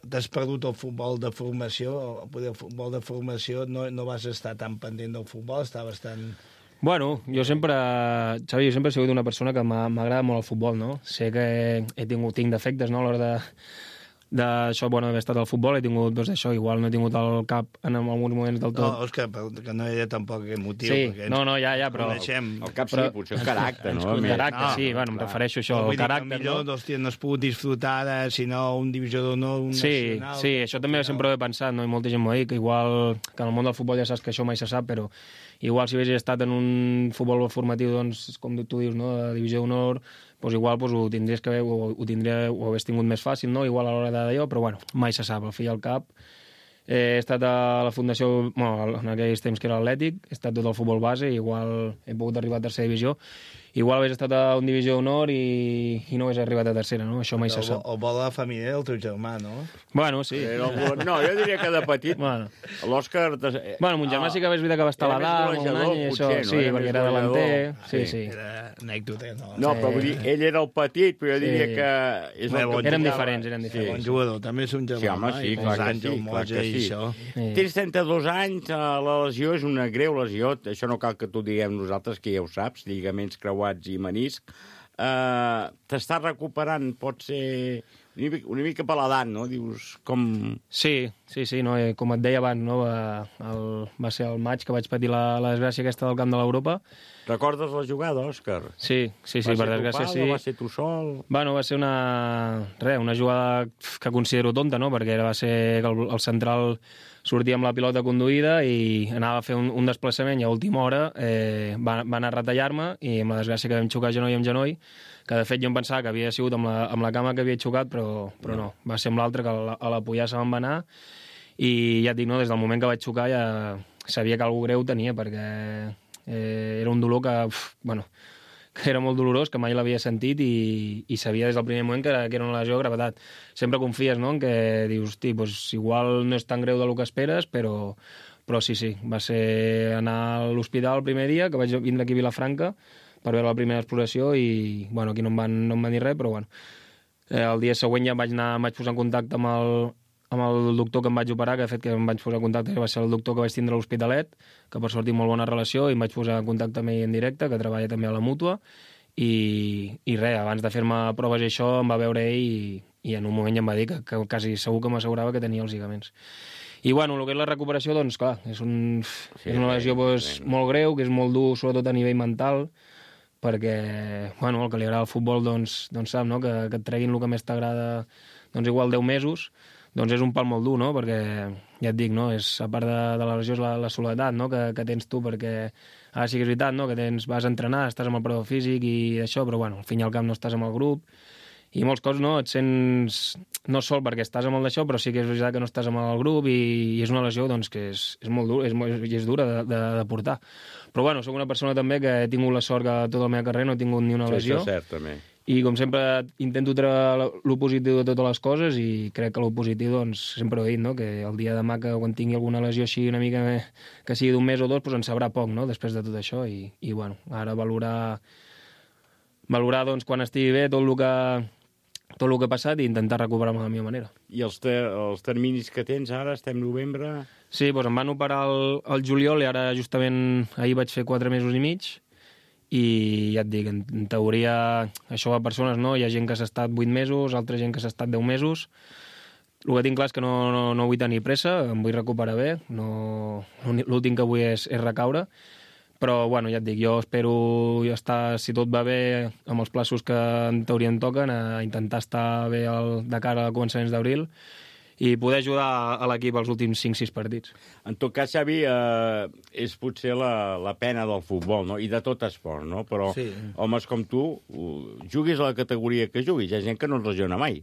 t'has perdut el futbol de formació, poder, el futbol de formació no, no vas estar tan pendent del futbol, estaves tan... Bueno, jo sempre, Xavi, jo sempre he sigut una persona que m'agrada molt el futbol, no? Sé que he tingut, tinc defectes, no?, a l'hora de d'això, bueno, d'haver estat al futbol, he tingut, doncs, això, igual no he tingut el cap en alguns moments del tot. No, Òscar, que no era tampoc aquest motiu. Sí, ens, no, no, ja, ja, però... Coneixem. El cap sí, potser el caràcter, no? El caràcter, no, sí, bueno, em refereixo a això, no, el caràcter, millor, no? Hòstia, no has pogut disfrutar de, sinó un divisió d'honor, un sí, nacional... Sí, això també sempre ho he pensat, no? I molta gent m'ho ha dit, que igual, que en el món del futbol ja saps que això mai se sap, però igual si hagués estat en un futbol formatiu, doncs, com tu dius, no?, de divisió d'honor, doncs igual doncs, ho tindries que haver, ho, ho, tindria, ho hagués tingut més fàcil, no?, igual a l'hora d'allò, però bueno, mai se sap, al fi i al cap. Eh, he estat a la fundació, bueno, en aquells temps que era l'Atlètic, he estat tot el futbol base, igual he pogut arribar a tercera divisió, igual hagués estat a un divisió d'honor i, i no hagués arribat a tercera, no? Això mai se sap. O vol la família del teu germà, no? Bueno, sí. El, no, jo diria que de petit, bueno. L'Òscar... Bueno, mon germà sí que és veritat que va estar a l'Adam un any, i això, potser, sí, no? Perquè era delanter, sí, sí. Era anècdota, no? No, però vull dir, ell era el petit, però jo diria sí. que... És el que érem diferents, érem diferents. Sí. Bon jugador, també és un germà. Sí, home, sí, clar que sí, clar que sí. Sí. Tens trenta-dos anys, la lesió és una greu lesió, això no cal que t'ho diguem nosaltres, que ja ho saps, lligaments creuats i menisc. Uh, T'estàs recuperant, pot ser una mica, una mica per l'edat, no? Dius, com... Sí, sí, sí, no? Com et deia abans, no? Va, el, va ser el maig que vaig patir la, la desgràcia aquesta del camp de l'Europa. Recordes la jugada, Òscar? Sí, sí, sí, per desgràcia sí. Va ser tu sol? Bueno, va ser una... Res, una jugada que considero tonta, no? Perquè va ser el, el central sortia amb la pilota conduïda i anava a fer un, un desplaçament i a última hora eh, va, va anar a retallar-me i amb la desgràcia que vam xocar genoll amb genoll, que de fet jo em pensava que havia sigut amb la, amb la cama que havia xocat, però, però no. Va ser amb l'altre que a la, a la pollassa me'n va anar i ja et dic, no, des del moment que vaig xocar ja sabia que algú greu tenia, perquè eh, era un dolor que, uf, bueno, que era molt dolorós, que mai l'havia sentit i, i sabia des del primer moment que era, que era una lesió de gravetat. Sempre confies, no?, en què dius, hosti, doncs, igual no és tan greu del que esperes, però, però sí, sí, va ser anar a l'hospital el primer dia, que vaig vindre aquí a Vilafranca per veure la primera exploració i, bueno, aquí no em van, no em van dir res, però, bueno, eh, el dia següent ja em vaig, anar, em vaig posar en contacte amb el, amb el doctor que em vaig operar, que de fet que em vaig posar en contacte, que va ser el doctor que vaig tindre a l'Hospitalet, que per sort tinc molt bona relació, i em vaig posar en contacte amb ell en directe, que treballa també a la Mútua, i, i res, abans de fer-me proves i això, em va veure ell i, i en un moment ja em va dir que, que quasi segur que m'assegurava que tenia els lligaments. I, bueno, el que és la recuperació, doncs, clar, és, un, sí, és una lesió doncs, molt greu, que és molt dur, sobretot a nivell mental, perquè, bueno, el que li agrada al futbol, doncs, doncs sap, no?, que, que et treguin el que més t'agrada, doncs igual deu mesos, doncs és un pal molt dur, no?, perquè, ja et dic, no?, és, a part de, de la lesió és la, la soledat, no?, que, que tens tu, perquè ara sí que és veritat, no?, que tens, vas a entrenar, estàs amb el preparador físic i això, però, bueno, al fin i al cap no estàs amb el grup, i molts cops, no?, et sents no sol perquè estàs amb el d'això, però sí que és veritat que no estàs amb el grup i, i és una lesió, doncs, que és, és molt dur, és, és dura de, de, de portar. Però, bueno, soc una persona també que he tingut la sort que tota la meva carrera no he tingut ni una sí, lesió. Sí, això és cert, també. I, com sempre, intento treure el positiu de totes les coses i crec que el positiu, doncs, sempre ho he dit, no?, que el dia de demà, que quan tingui alguna lesió així una mica que sigui d'un mes o dos, doncs en sabrà poc, no?, després de tot això. I, i bueno, ara valorar, valorar, doncs, quan estigui bé tot el que, tot el que ha passat i intentar recuperar-me de la meva manera. I els, ter els terminis que tens ara, estem novembre... Sí, doncs em van operar el, el juliol i ara justament ahir vaig fer quatre mesos i mig i ja et dic, en, en teoria això va a persones, no? Hi ha gent que s'ha estat vuit mesos, altra gent que s'ha estat deu mesos. El que tinc clar és que no, no, no vull tenir pressa, em vull recuperar bé, no, l'últim que vull és, és recaure, però bueno, ja et dic, jo espero estar, si tot va bé, amb els plaços que en teoria em toquen, a intentar estar bé el, de cara a començaments d'abril i poder ajudar a l'equip als últims cinc sis partits. En tot cas, Xavi, eh, és potser la, la pena del futbol, no?, i de tot esport, no? Però sí. Homes com tu, juguis a la categoria que juguis, hi ha gent que no es lesiona mai.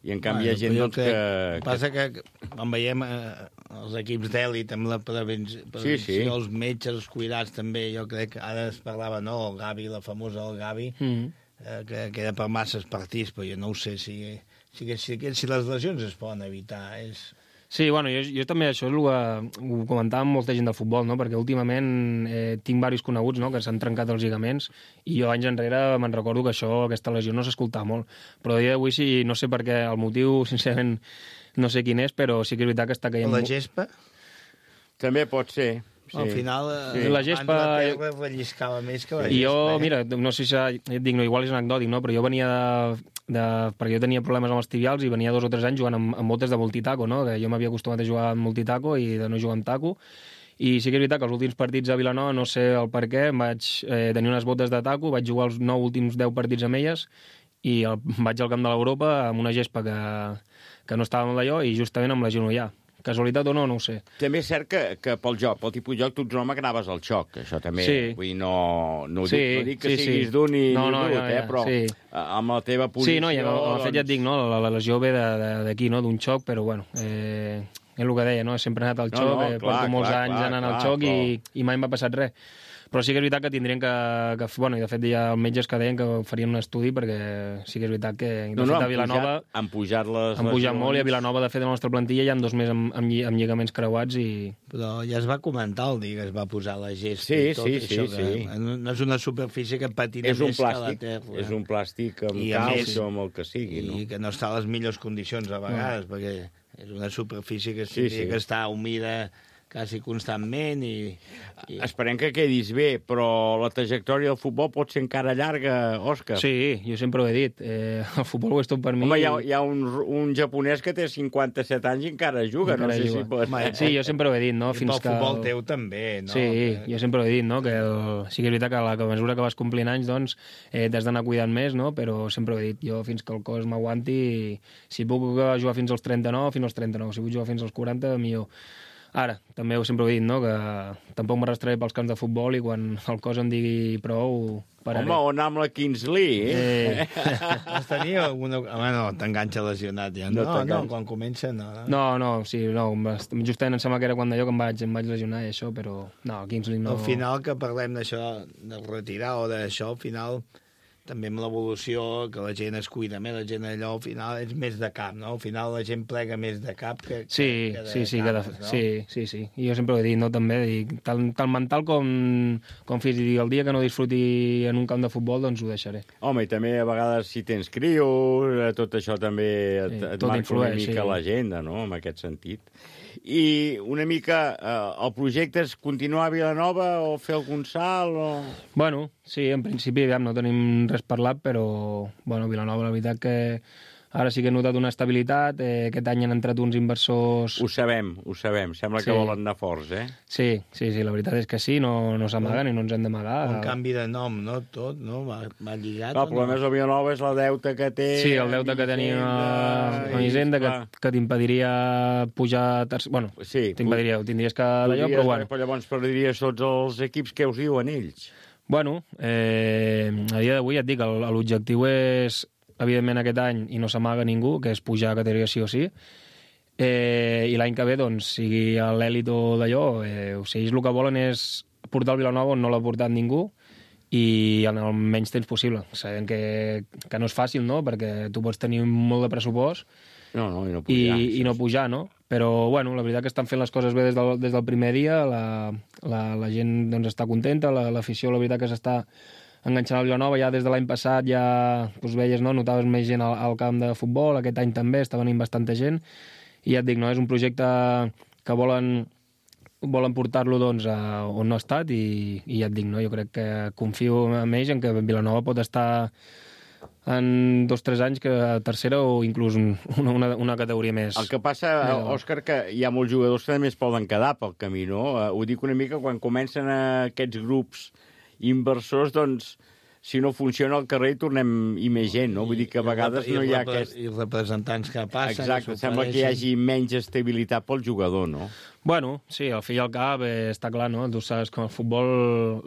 I en canvi bueno, hi ha gent doncs, que... El que passa que quan veiem eh, els equips d'èlit amb la prevenció, sí, sí. els metges, els cuidats també, jo crec que ara es parlava, no?, el Gavi, la famosa del Gavi, mm. eh, que queda per masses partits, però jo no ho sé si... Si, si, si les lesions es poden evitar, és... Sí, bueno, jo, jo també això és el que ho comentava amb molta gent del futbol, no?, perquè últimament eh, tinc diversos coneguts, no?, que s'han trencat els lligaments i jo anys enrere me'n recordo que això, aquesta lesió no s'escoltava molt. Però a dia d'avui sí, no sé per què, el motiu, sincerament, no sé quin és, però sí que és veritat que està caient... La gespa? També pot ser. Sí. Al final, sí. La gespa... la terra relliscava més que la I gespa. jo, eh? mira, no sé si... Et dic, no, igual és anecdòtic, no?, però jo venia de... De, perquè jo tenia problemes amb els tibials i venia dos o tres anys jugant amb, amb botes de multitaco, no? Que jo m'havia acostumat a jugar amb multitaco i de no jugar amb taco, i sí que és veritat que els últims partits a Vilanova, no sé el per què, vaig eh, tenir unes botes de taco, vaig jugar els nou últims deu partits amb elles i el, vaig al camp de l'Europa amb una gespa que, que no estava amb d'allò i justament amb la genollà. Casualitat o no, no ho sé. També és cert que, que pel joc, pel tipus de joc, tu ets un home que anaves al xoc, això també. Sí. Vull dir, no, no, sí, dic, no dic que sí, siguis sí. dur ni, no, ni no, brut, ja, ja, eh, però sí. amb la teva posició... Sí, no, i en el, en el fet ja et dic, no, la, la lesió ve d'aquí, no, d'un xoc, però bueno, eh, és el que deia, no, sempre he anat al xoc, no, no, eh, clar, porto molts clar, anys clar, anant clar, al xoc clar, i, i mai m'ha passat res. Però sí que és veritat que tindrien que, que... Bueno, i de fet hi ha metges que deien que farien un estudi perquè sí que és veritat que... De no, no, fet, a Vilanova... Han pujat les... Han pujat molt i a Vilanova, de fet, a la nostra plantilla hi ha dos més amb, amb, amb lligaments creuats i... Però ja es va comentar el dia que es va posar la gespa sí, i tot sí, això, sí, que sí. no és una superfície que patina és un més plàstic, que la terra. És un plàstic amb calç o amb el que sigui, no? I que no està a les millors condicions a vegades, no. Perquè és una superfície que sí, sí. que està humida quasi constantment i, i... Esperem que quedis bé, però la trajectòria del futbol pot ser encara llarga, Òscar. Sí, jo sempre ho he dit. Eh, el futbol ho és tot per mi. Home, hi ha, hi ha un, un japonès que té cinquanta-set anys i encara juga. Encara no sé juga. si pot... Home, sí, jo sempre ho he dit, no? I Fins pel que futbol el... teu també, no? Sí, que... jo sempre ho he dit, no? Que el... sí que és veritat que a la que a mesura que vas complint anys, doncs, eh, t'has d'anar cuidant més, no? Però sempre ho he dit, jo fins que el cos m'aguanti, si puc jugar fins als trenta-nou, fins als trenta-nou, si vull jugar fins als quaranta, millor. Ara, també ho sempre ho he dit, no?, que tampoc m'arrastraré pels camps de futbol i quan el cos em digui prou, pararé. Home, on amb la Kingsley, eh? eh. Has tenia alguna... Home, no, t'enganxa lesionat ja. No, no, no, quan comença, no. No, no, sí, no, justament em sembla que era quan d'allò que em vaig, em vaig lesionar i això, però no, Kingsley no... Al final, que parlem d'això, de retirar o d'això, al final... també amb l'evolució, que la gent es cuida més, la gent allò, al final, és més de cap, no? Al final la gent plega més de cap que, sí, que de sí, sí, cames, que de, no? sí, sí, sí. I jo sempre ho he dit, no?, també, dic, tant, tant mental com, com físic. El dia que no disfruti en un camp de futbol, doncs ho deixaré. Home, i també a vegades si tens crios, tot això també et, sí, et marca influeix, una mica sí. l'agenda, no?, en aquest sentit. I una mica, eh, el projecte és continuar a Vilanova o fer algun salt? O... Bueno, sí, en principi ja no tenim res parlat, però bueno, Vilanova, la veritat que ara sí que he notat una estabilitat. Eh, aquest any han entrat uns inversors... Ho sabem, ho sabem. Sembla sí. que volen anar forts, eh? Sí, sí, sí, la veritat és que sí, no, no s'amaguen i no ens hem d'amagar. Un canvi de nom, no? Tot, no? Va, va lligat. No, el problema no? és el Vilanova és el deute que té... Sí, el deute que tenim a Hisenda, que, que t'impediria pujar... Terç... Bueno, sí, t'impediria, ho tindries que d'allò, però bueno. Però llavors perdries tots els equips que us diuen ells. Bueno, eh, a dia d'avui et dic, l'objectiu és, evidentment, aquest any, i no s'amaga ningú, que és pujar a categoria sí o sí, eh, i l'any que ve, doncs, sigui a l'èlit o d'allò, eh, o sigui, ells el que volen és portar el Vilanova on no l'ha portat ningú i en el menys temps possible. Sabem que, que no és fàcil, no?, perquè tu pots tenir molt de pressupost no, no, i, no pujar, i, i no pujar, no? Però, bueno, la veritat que estan fent les coses bé des del, des del primer dia, la, la, la gent doncs, està contenta, l'afició, la, la veritat que s'està enganxant al Vilanova. Ja des de l'any passat ja doncs, veies, no?, notaves més gent al, al camp de futbol, aquest any també està venint bastanta gent, i ja et dic, no?, és un projecte que volen, volen portar-lo doncs, a on no ha estat, i, i ja et dic, no?, jo crec que confio en ells en que Vilanova pot estar en dos o tres anys que a tercera o inclús una, una, una categoria més. El que passa, Òscar, que hi ha molts jugadors que també es poden quedar pel camí, no? Ho dic una mica quan comencen aquests grups inversors, doncs, si no funciona al carrer, tornem i més gent, no? Vull dir que a vegades no hi ha aquest... I representants que passen... Exacte, sembla que hi hagi menys estabilitat pel jugador, no? Bueno, sí, al fi i al cap eh, està clar, no? Tu saps que el futbol,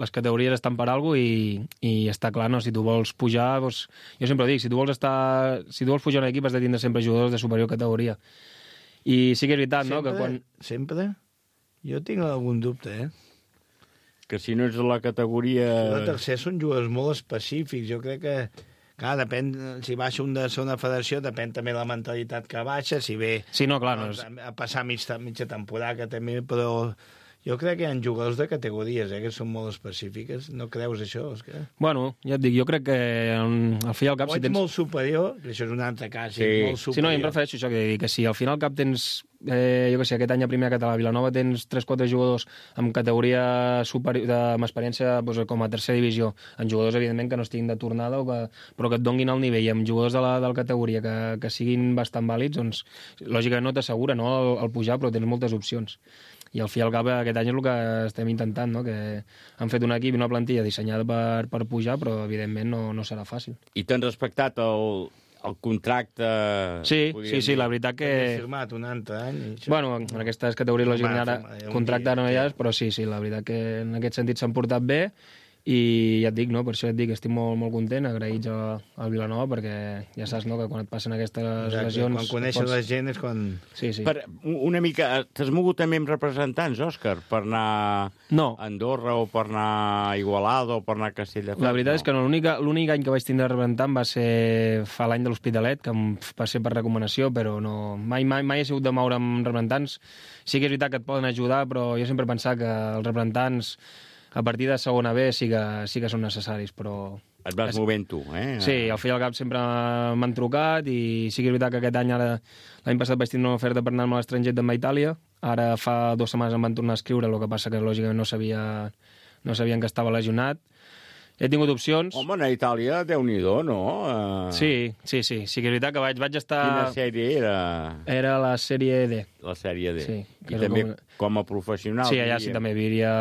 les categories estan per alguna cosa i, i està clar, no? Si tu vols pujar, doncs, jo sempre dic, si tu vols estar, si tu vols pujar a un equip has de tindre sempre jugadors de superior categoria. I sí que és veritat, sempre, no? Que quan... Sempre? Jo tinc algun dubte, eh? Que si no ets de la categoria... La tercera són jugadors molt específics. Jo crec que, clar, depèn, si baixa un de segona federació, depèn també la mentalitat que baixa, si ve sí, no, clar, no és... a passar mig, mitja temporada, que també, però jo crec que hi ha jugadors de categories, eh, que són molt específiques. No creus això, Òscar? Bueno, ja et dic, jo crec que al fi i al cap... O ets si tens... molt superior, que això és un altre cas, sí. Molt superior. Sí, no, em refereixo a això, que, que si al final al cap tens... Eh, jo què sé, aquest any a primer català a Vilanova tens tres o quatre jugadors amb categoria superior, amb experiència doncs, com a tercera divisió, amb jugadors evidentment que no estiguin de tornada o que, però que et donguin el nivell, amb jugadors de la, de la categoria que, que siguin bastant vàlids, doncs lògicament no t'assegura, no, el, el pujar, però tens moltes opcions. I al fi i al cap aquest any és el que estem intentant, no? Que han fet un equip i una plantilla dissenyada per, per pujar, però evidentment no, no serà fàcil. I t'han respectat el, el contracte... Sí, sí, sí, la veritat que... He firmat un altre any. Això... Bueno, en aquestes categories lògicament ara contracte no hi ha, però sí, sí, la veritat que en aquest sentit s'han portat bé. I ja et dic, no? Per això et dic que estic molt, molt content, agraïts al Vilanova, perquè ja saps, no?, que quan et passen aquestes Exacte, lesions... Quan coneixes pots... la gent és quan... Sí, sí. Per, una mica... T'has mogut també amb representants, Òscar, per anar no. a Andorra o per anar a Igualada o per anar a Castelldefels? La veritat no. és que no, l'únic any que vaig tindre representant va ser fa l'any de l'Hospitalet, que va ser per recomanació, però no... Mai, mai, mai he sigut de moure amb representants. Sí que és veritat que et poden ajudar, però jo sempre he pensat que els representants a partir de segona B sí que, sí que són necessaris, però... Et vas movent tu, eh? Sí, al fi i al cap sempre m'han trucat i sí que és veritat que aquest any, ara l'any passat vaig tindre una oferta per anar-me a l'estranger també a Itàlia, ara fa dues setmanes em van tornar a escriure, el que passa que lògicament no sabia, no sabien que estava lesionat. He tingut opcions. Home, a Itàlia, Déu-n'hi-do, no? Uh... Sí, sí, sí, sí que és veritat que vaig, vaig estar... Quina sèrie era? Era la sèrie D. La sèrie D. Sí. I també com... com a professional. Sí, allà sí també viuria...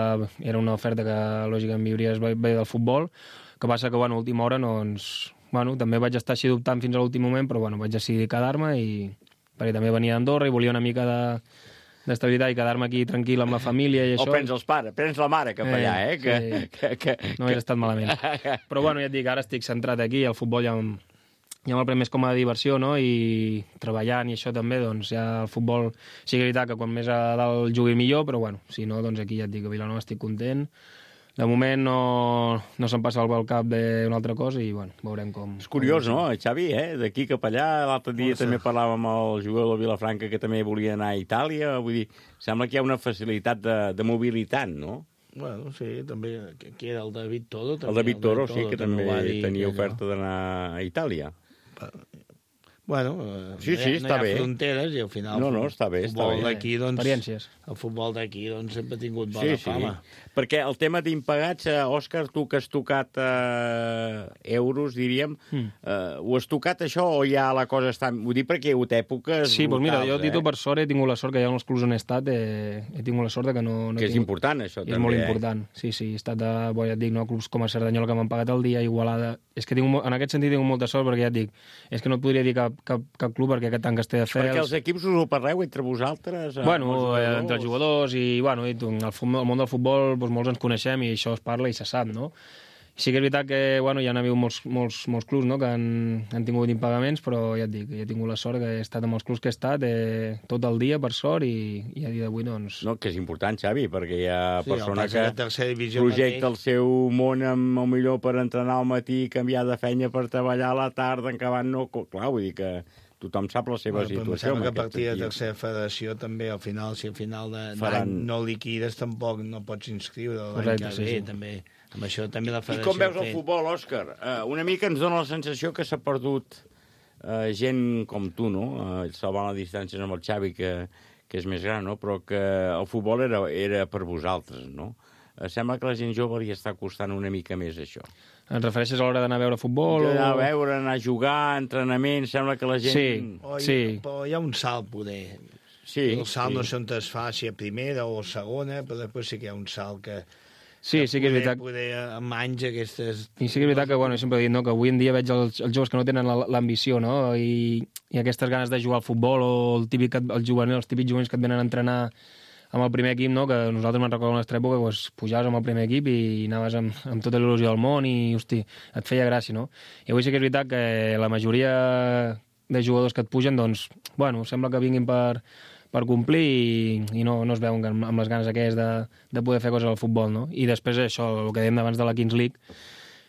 Era una oferta que lògicament viuries bé del futbol, que passa que, bueno, a última hora, doncs... Bueno, també vaig estar així dubtant fins a l'últim moment, però, bueno, vaig decidir quedar-me i... perquè també venia d'Andorra i volia una mica de... d'estabilitat i quedar-me aquí tranquil amb la família i això. O prens els pares, prens la mare cap allà, eh? Que, sí. que, que, no hauria estat malament. Però bueno, ja et dic, ara estic centrat aquí, el futbol ja, ja me'l pren més com a diversió, no? I treballant i això també, doncs ja el futbol sí que és veritat que quan més a dalt jugui millor, però bueno, si no, doncs aquí ja et dic, a Vilanova estic content. De moment no, no se'm passa pel cap d'una altra cosa i, bueno, veurem com... És curiós, no, Xavi, eh? D'aquí cap allà. L'altre dia oh, també parlàvem amb el jugador de Vilafranca que també volia anar a Itàlia. Vull dir, sembla que hi ha una facilitat de, de mobilitat, no? Bueno, sí, també... Qui era el David Toro? També, el David Toro, el David Toro sí, que també, també tenia oferta d'anar a Itàlia. Bueno, sí, sí, no està hi ha bé. fronteres i al final no, no, està bé, el futbol d'aquí, doncs, experiències. El futbol d'aquí doncs, sempre ha tingut bona sí, fama. Sí. Perquè el tema d'impagats, eh, Òscar, tu que has tocat eh, euros, diríem, mm. eh, ho has tocat això o ja la cosa està... Vull dir, perquè hi ha hagut èpoques sí, doncs mira, jo, eh? Tito, per sort, he tingut la sort que hi ha uns clubs on he estat, eh, he tingut la sort que no... no que és tingut... important, això, I també, és molt eh? important, sí, sí, he estat, de, bo, ja et dic, no, clubs com a Cerdanyola que m'han pagat el dia, Igualada... És que tinc, en aquest sentit tinc molta sort perquè ja et dic, és que no et podria dir cap, cap, cap club perquè aquest tant Castelldefels... Perquè els equips us ho parleu entre vosaltres? Bueno, jugadors? entre jugadors i, bueno, i tu, el, el món del futbol doncs, molts ens coneixem i això es parla i se sap, no? Sí que és veritat que, bueno, ja n'ha hagut molts, molts, molts clubs, no?, que han, han tingut impagaments, però ja et dic, ja he tingut la sort que he estat amb els clubs que he estat eh, tot el dia, per sort, i, i a dia d'avui, doncs... No, que és important, Xavi, perquè hi ha sí, persona que projecta mateix. El seu món amb, el millor per entrenar al matí, canviar de feina per treballar a la tarda, en acabant no... Clar, vull dir que tothom sap la seva bueno, situació. Em sembla que a partir de tercera federació també, al final, si al final d'any Faran... no liquides, tampoc no pots inscriure l'any que ve, sí. també... Amb això també la federació... I com veus el futbol, Òscar? Uh, una mica ens dona la sensació que s'ha perdut uh, gent com tu, no? Uh, salvant les distàncies amb el Xavi, que, que és més gran, no? Però que el futbol era, era per vosaltres, no? Uh, sembla que la gent jove li està costant una mica més això. Et refereixes a l'hora d'anar a veure futbol? D'anar a veure, anar a jugar, entrenament, sembla que la gent... Sí, oh, sí. Però hi ha un salt, poder. Sí, el salt sí. no sé on es fa, si a primera o a segona, però després sí que hi ha un salt que... Sí, sí que és veritat. Poder amb anys aquestes... I sí que és veritat que, bueno, sempre he dit, no?, que avui en dia veig els, els joves que no tenen l'ambició, no?, i, i aquestes ganes de jugar al futbol, o el típic, el juvenil, els típics juvenils que et venen a entrenar amb el primer equip, no?, que nosaltres me'n recordo en la nostra època, doncs, pujaves amb el primer equip i anaves amb, amb tota l'il·lusió del món i, hosti, et feia gràcia, no? I avui sí que és veritat que la majoria de jugadors que et pugen, doncs, bueno, sembla que vinguin per... per complir i, i no, no es veuen amb les ganes aquelles de, de poder fer coses al futbol, no? I després això, el que dèiem abans de la Kings League,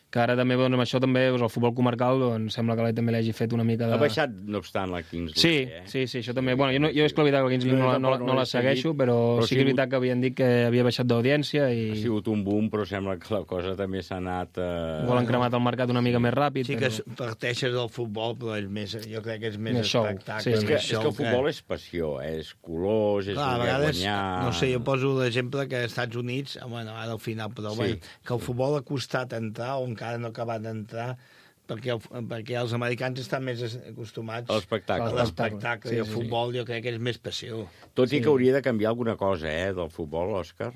que ara també, doncs, amb això també, doncs, el futbol comarcal, doncs, sembla que l'A també l'hagi fet una mica de... Ha baixat, no obstant, la Kings League, sí, eh? Sí, sí, això també. Bueno, jo, no, jo és que la veritat que la Kings League no, no, no, no la segueixo, però, però sí que és veritat que havien dit que havia baixat d'audiència i... Ha sigut un boom, però sembla que la cosa també s'ha anat... Eh... Igual han cremat el mercat una mica més ràpid. Sí però... que parteixes del futbol, però és més, jo crec que és més, més espectacle. Sí, és, que, és que el futbol que... és passió, eh? És colors, és clar, voler vegades, guanyar... No sé, jo poso l'exemple que als Estats Units, bueno, ara al final, però sí. Bueno, que el futbol ha costat entrar o encara no ha acabat d'entrar perquè, el, perquè els americans estan més acostumats a l'espectacle. A l'espectacle sí, i el futbol sí. Jo crec que és més passió. Tot i sí. Que hauria de canviar alguna cosa, eh, del futbol, Òscar.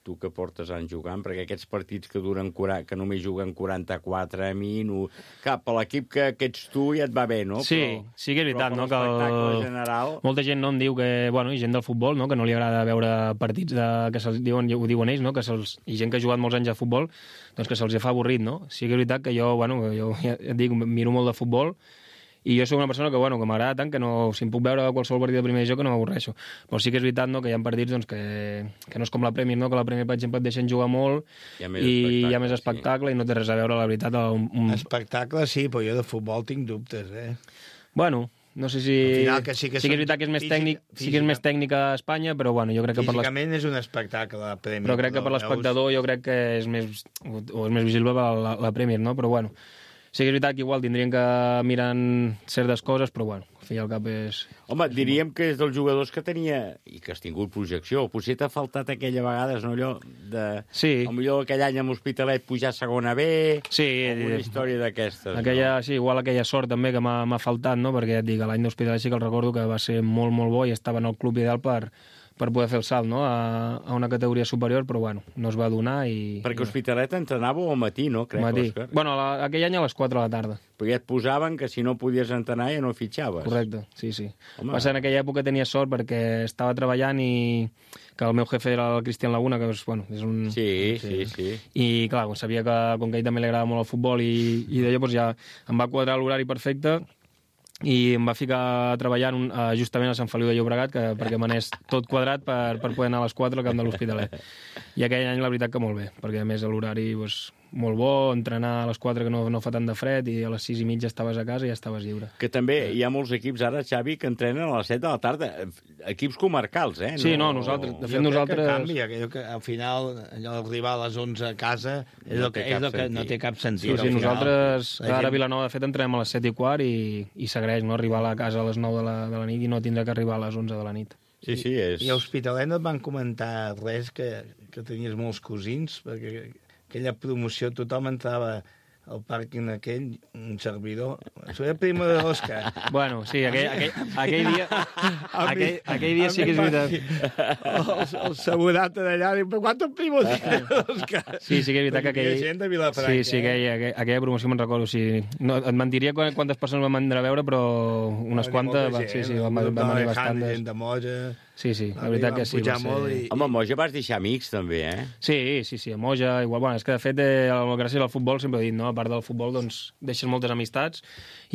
Tu que portes anys jugant, perquè aquests partits que duren quaranta, que només juguen quaranta-quatre a mi, no... Cap, a l'equip que, que ets tu ja et va bé, no? Sí, però, sí que és veritat, no? Que el... general... Molta gent no em diu que, bueno, i gent del futbol, no?, que no li agrada veure partits de... que se'ls diuen, ho diuen ells, no?, que se'ls... i gent que ha jugat molts anys a futbol, doncs que se'ls fa avorrit, no? Sí que és veritat que jo, bueno, jo ja et dic, miro molt de futbol, i jo soc una persona que, bueno, que m'agrada tant que no, si em puc veure qualsevol partit de primera divisió que no m'avorreixo. Però sí que és veritat, no?, que hi ha partits doncs, que, que no és com la Premier, no?, que la Premier, per exemple, et deixen jugar molt hi i hi ha més espectacle sí. I no té res a veure, la veritat. Un, un... Espectacle sí, però jo de futbol tinc dubtes, eh? Bueno, no sé si... Que sí, que sí que és veritat que és més, física, tècnic, sí que és més tècnica a Espanya, però bueno, jo crec que per les... Físicament és un espectacle, la Premier. Però crec que per l'espectador jo crec que és més, o és més visible la, la Premier, no? Però bueno... Sí que és veritat que igual tindrien que mirar certes coses, però bueno, al fi i al cap és... Home, diríem que és dels jugadors que tenia, i que has tingut projecció, potser t'ha faltat aquella vegada, no, allò de... Sí. Potser aquell any amb l'Hospitalet pujar a segona B, sí, alguna història d'aquestes. Aquella, no? Sí, igual aquella sort també que m'ha faltat, no?, perquè ja et dic, l'any d'Hospitalet sí que el recordo que va ser molt, molt bo i estava en el club ideal per, per poder fer el salt, no?, a, a una categoria superior, però bueno, no es va donar i... Perquè Hospitalet entrenàveu al matí, no? Crec, matí. Òscar. Bueno, la, aquell any a les quatre de la tarda. Però ja et posaven que si no podies entrenar ja no fitxaves. Correcte, sí, sí. Home. Va ser en aquella època tenia sort perquè estava treballant i que el meu jefe era el Cristian Laguna, que és, bueno, és un... Sí, sí, sí. I clar, sabia que com que a ell també li agradava molt el futbol i, i d'allò doncs ja em va quadrar l'horari perfecte i em va ficar a treballar un, uh, justament a Sant Feliu de Llobregat que, perquè m'anés tot quadrat per, per poder anar a les quatre al camp de l'Hospitalet. I aquell any la veritat que molt bé, perquè a més l'horari doncs, molt bo, entrenar a les quatre que no, no fa tant de fred i a les sis i mitja estaves a casa i ja estaves lliure. Que també hi ha molts equips ara, Xavi, que entrenen a les set de la tarda. Equips comarcals, eh? Sí, no, nosaltres... De fet, jo nosaltres... crec que canvia, que, que al final allò d'arribar a les onze a casa és no el que, té és el que no té cap sentit. Sí, sí, final, nosaltres gent... ara a Vilanova, de fet, entrem a les set i quart i, i s'agraeix, no?, arribar a la casa a les nou de la, de la nit i no tindre que arribar a les onze de la nit. Sí, sí, és... I a Hospitalet no et van comentar res, que, que tenies molts cosins, perquè aquella promoció tothom entrava al pàrquing aquell, un servidor. Soy el primo de Òscar. Bueno, sí, aquell, aquell, aquell dia... aquell, aquell dia sí que és veritat. El, el segurata d'allà diu, però quantos primos tienes, Òscar? Sí, sí que és veritat que aquell... Gent de Vilafranca, sí, sí, aquella, aquella, aquella promoció me'n recordo. Sí. No, et mentiria quantes persones van venir a veure, però unes quantes... Va, sí, sí, van, van venir bastantes. Gent de Moja... Sí, sí, la veritat que sí. Va ser... molt i... Home, a Moja vas deixar amics, també, eh? Sí, sí, sí, a Moja, igual. Bueno, és que, de fet, eh, gràcies al futbol, sempre he dit, no? A part del futbol, doncs, deixes moltes amistats,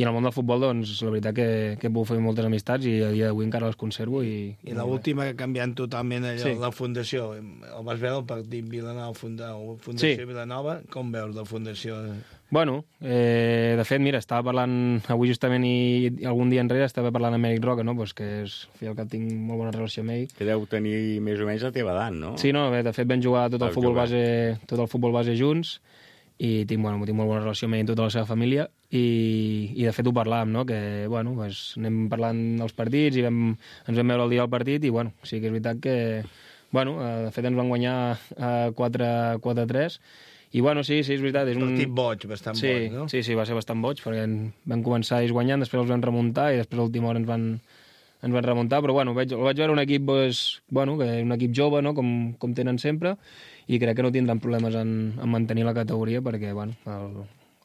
i en el món del futbol, doncs, la veritat que, que he pogut fer moltes amistats, i a dia d'avui encara les conservo. I, I l'última que ha canviat totalment allò, sí. La Fundació. El vas veure el partit Vilanova, funda, Fundació sí. Vilanova, com veus la Fundació? Bueno, eh, de fet, mira, estava parlant avui justament i, i algun dia enrere estava parlant amb Eric Roca, no? Pues que és, al cap tinc molt bona relació amb ell. Que deu tenir més o menys la teva edat, no? Sí, no, bé, de fet vam jugar tot el, Vas futbol jugar. base, tot el futbol base junts i tinc, bueno, tinc molt bona relació amb ell i tota la seva família i, i de fet ho parlàvem, no? Que, bueno, pues, anem parlant dels partits i vam, ens vam veure el dia del partit i, bueno, sí que és veritat que, bueno, de fet ens van guanyar quatre a tres. I, bueno, sí, sí, és veritat. És un partit boig, bastant sí, boig, no? Sí, sí, va ser bastant boig, perquè vam començar ells guanyant, després els vam remuntar i després a l'última hora ens van, ens van remuntar, però, bueno, vaig, el vaig veure un equip, pues, bueno, que un equip jove, no?, com, com tenen sempre, i crec que no tindran problemes en, en mantenir la categoria, perquè, bueno, el,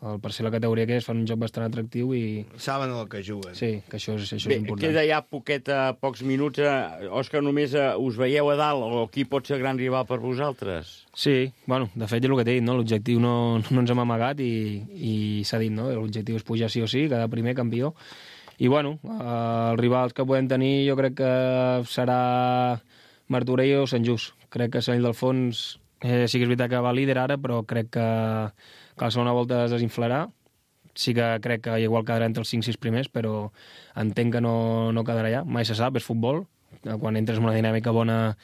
el, per ser la categoria que és, fan un joc bastant atractiu i... Saben el que juguen. Sí, que això és, això Bé, és important. queda ja poquet, a pocs minuts. Eh, Òscar, només eh, us veieu a dalt, o qui pot ser gran rival per vosaltres? Sí, bueno, de fet és el que t'he dit, no? L'objectiu no, no ens hem amagat i, i s'ha dit, no? L'objectiu és pujar sí o sí, quedar primer campió. I, bueno, eh, els rivals que podem tenir jo crec que serà Martorell o Sant Just. Crec que Sant Ildefons eh, sí que és veritat que va líder ara, però crec que, que a la segona volta es desinflarà. Sí que crec que igual quedarà entre els cinc sis primers, però entenc que no, no quedarà allà. Mai se sap, és futbol. Quan entres en una dinàmica bona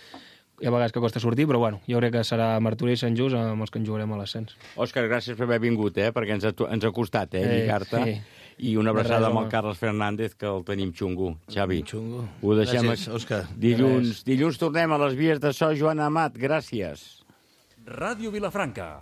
hi ha vegades que costa sortir, però bueno, jo crec que serà Martorell i Sant Just amb els que en jugarem a l'ascens. Òscar, gràcies per haver vingut, eh? Perquè ens ha, ens ha costat, eh, Eh, lligar-te. sí. I una abraçada res, amb home. el Carles Fernández, que el tenim xungo. Xavi, Xungo. ho deixem... Gràcies, Òscar. Dilluns, dilluns tornem a les vies de so, Joan Amat. Gràcies. Ràdio Vilafranca,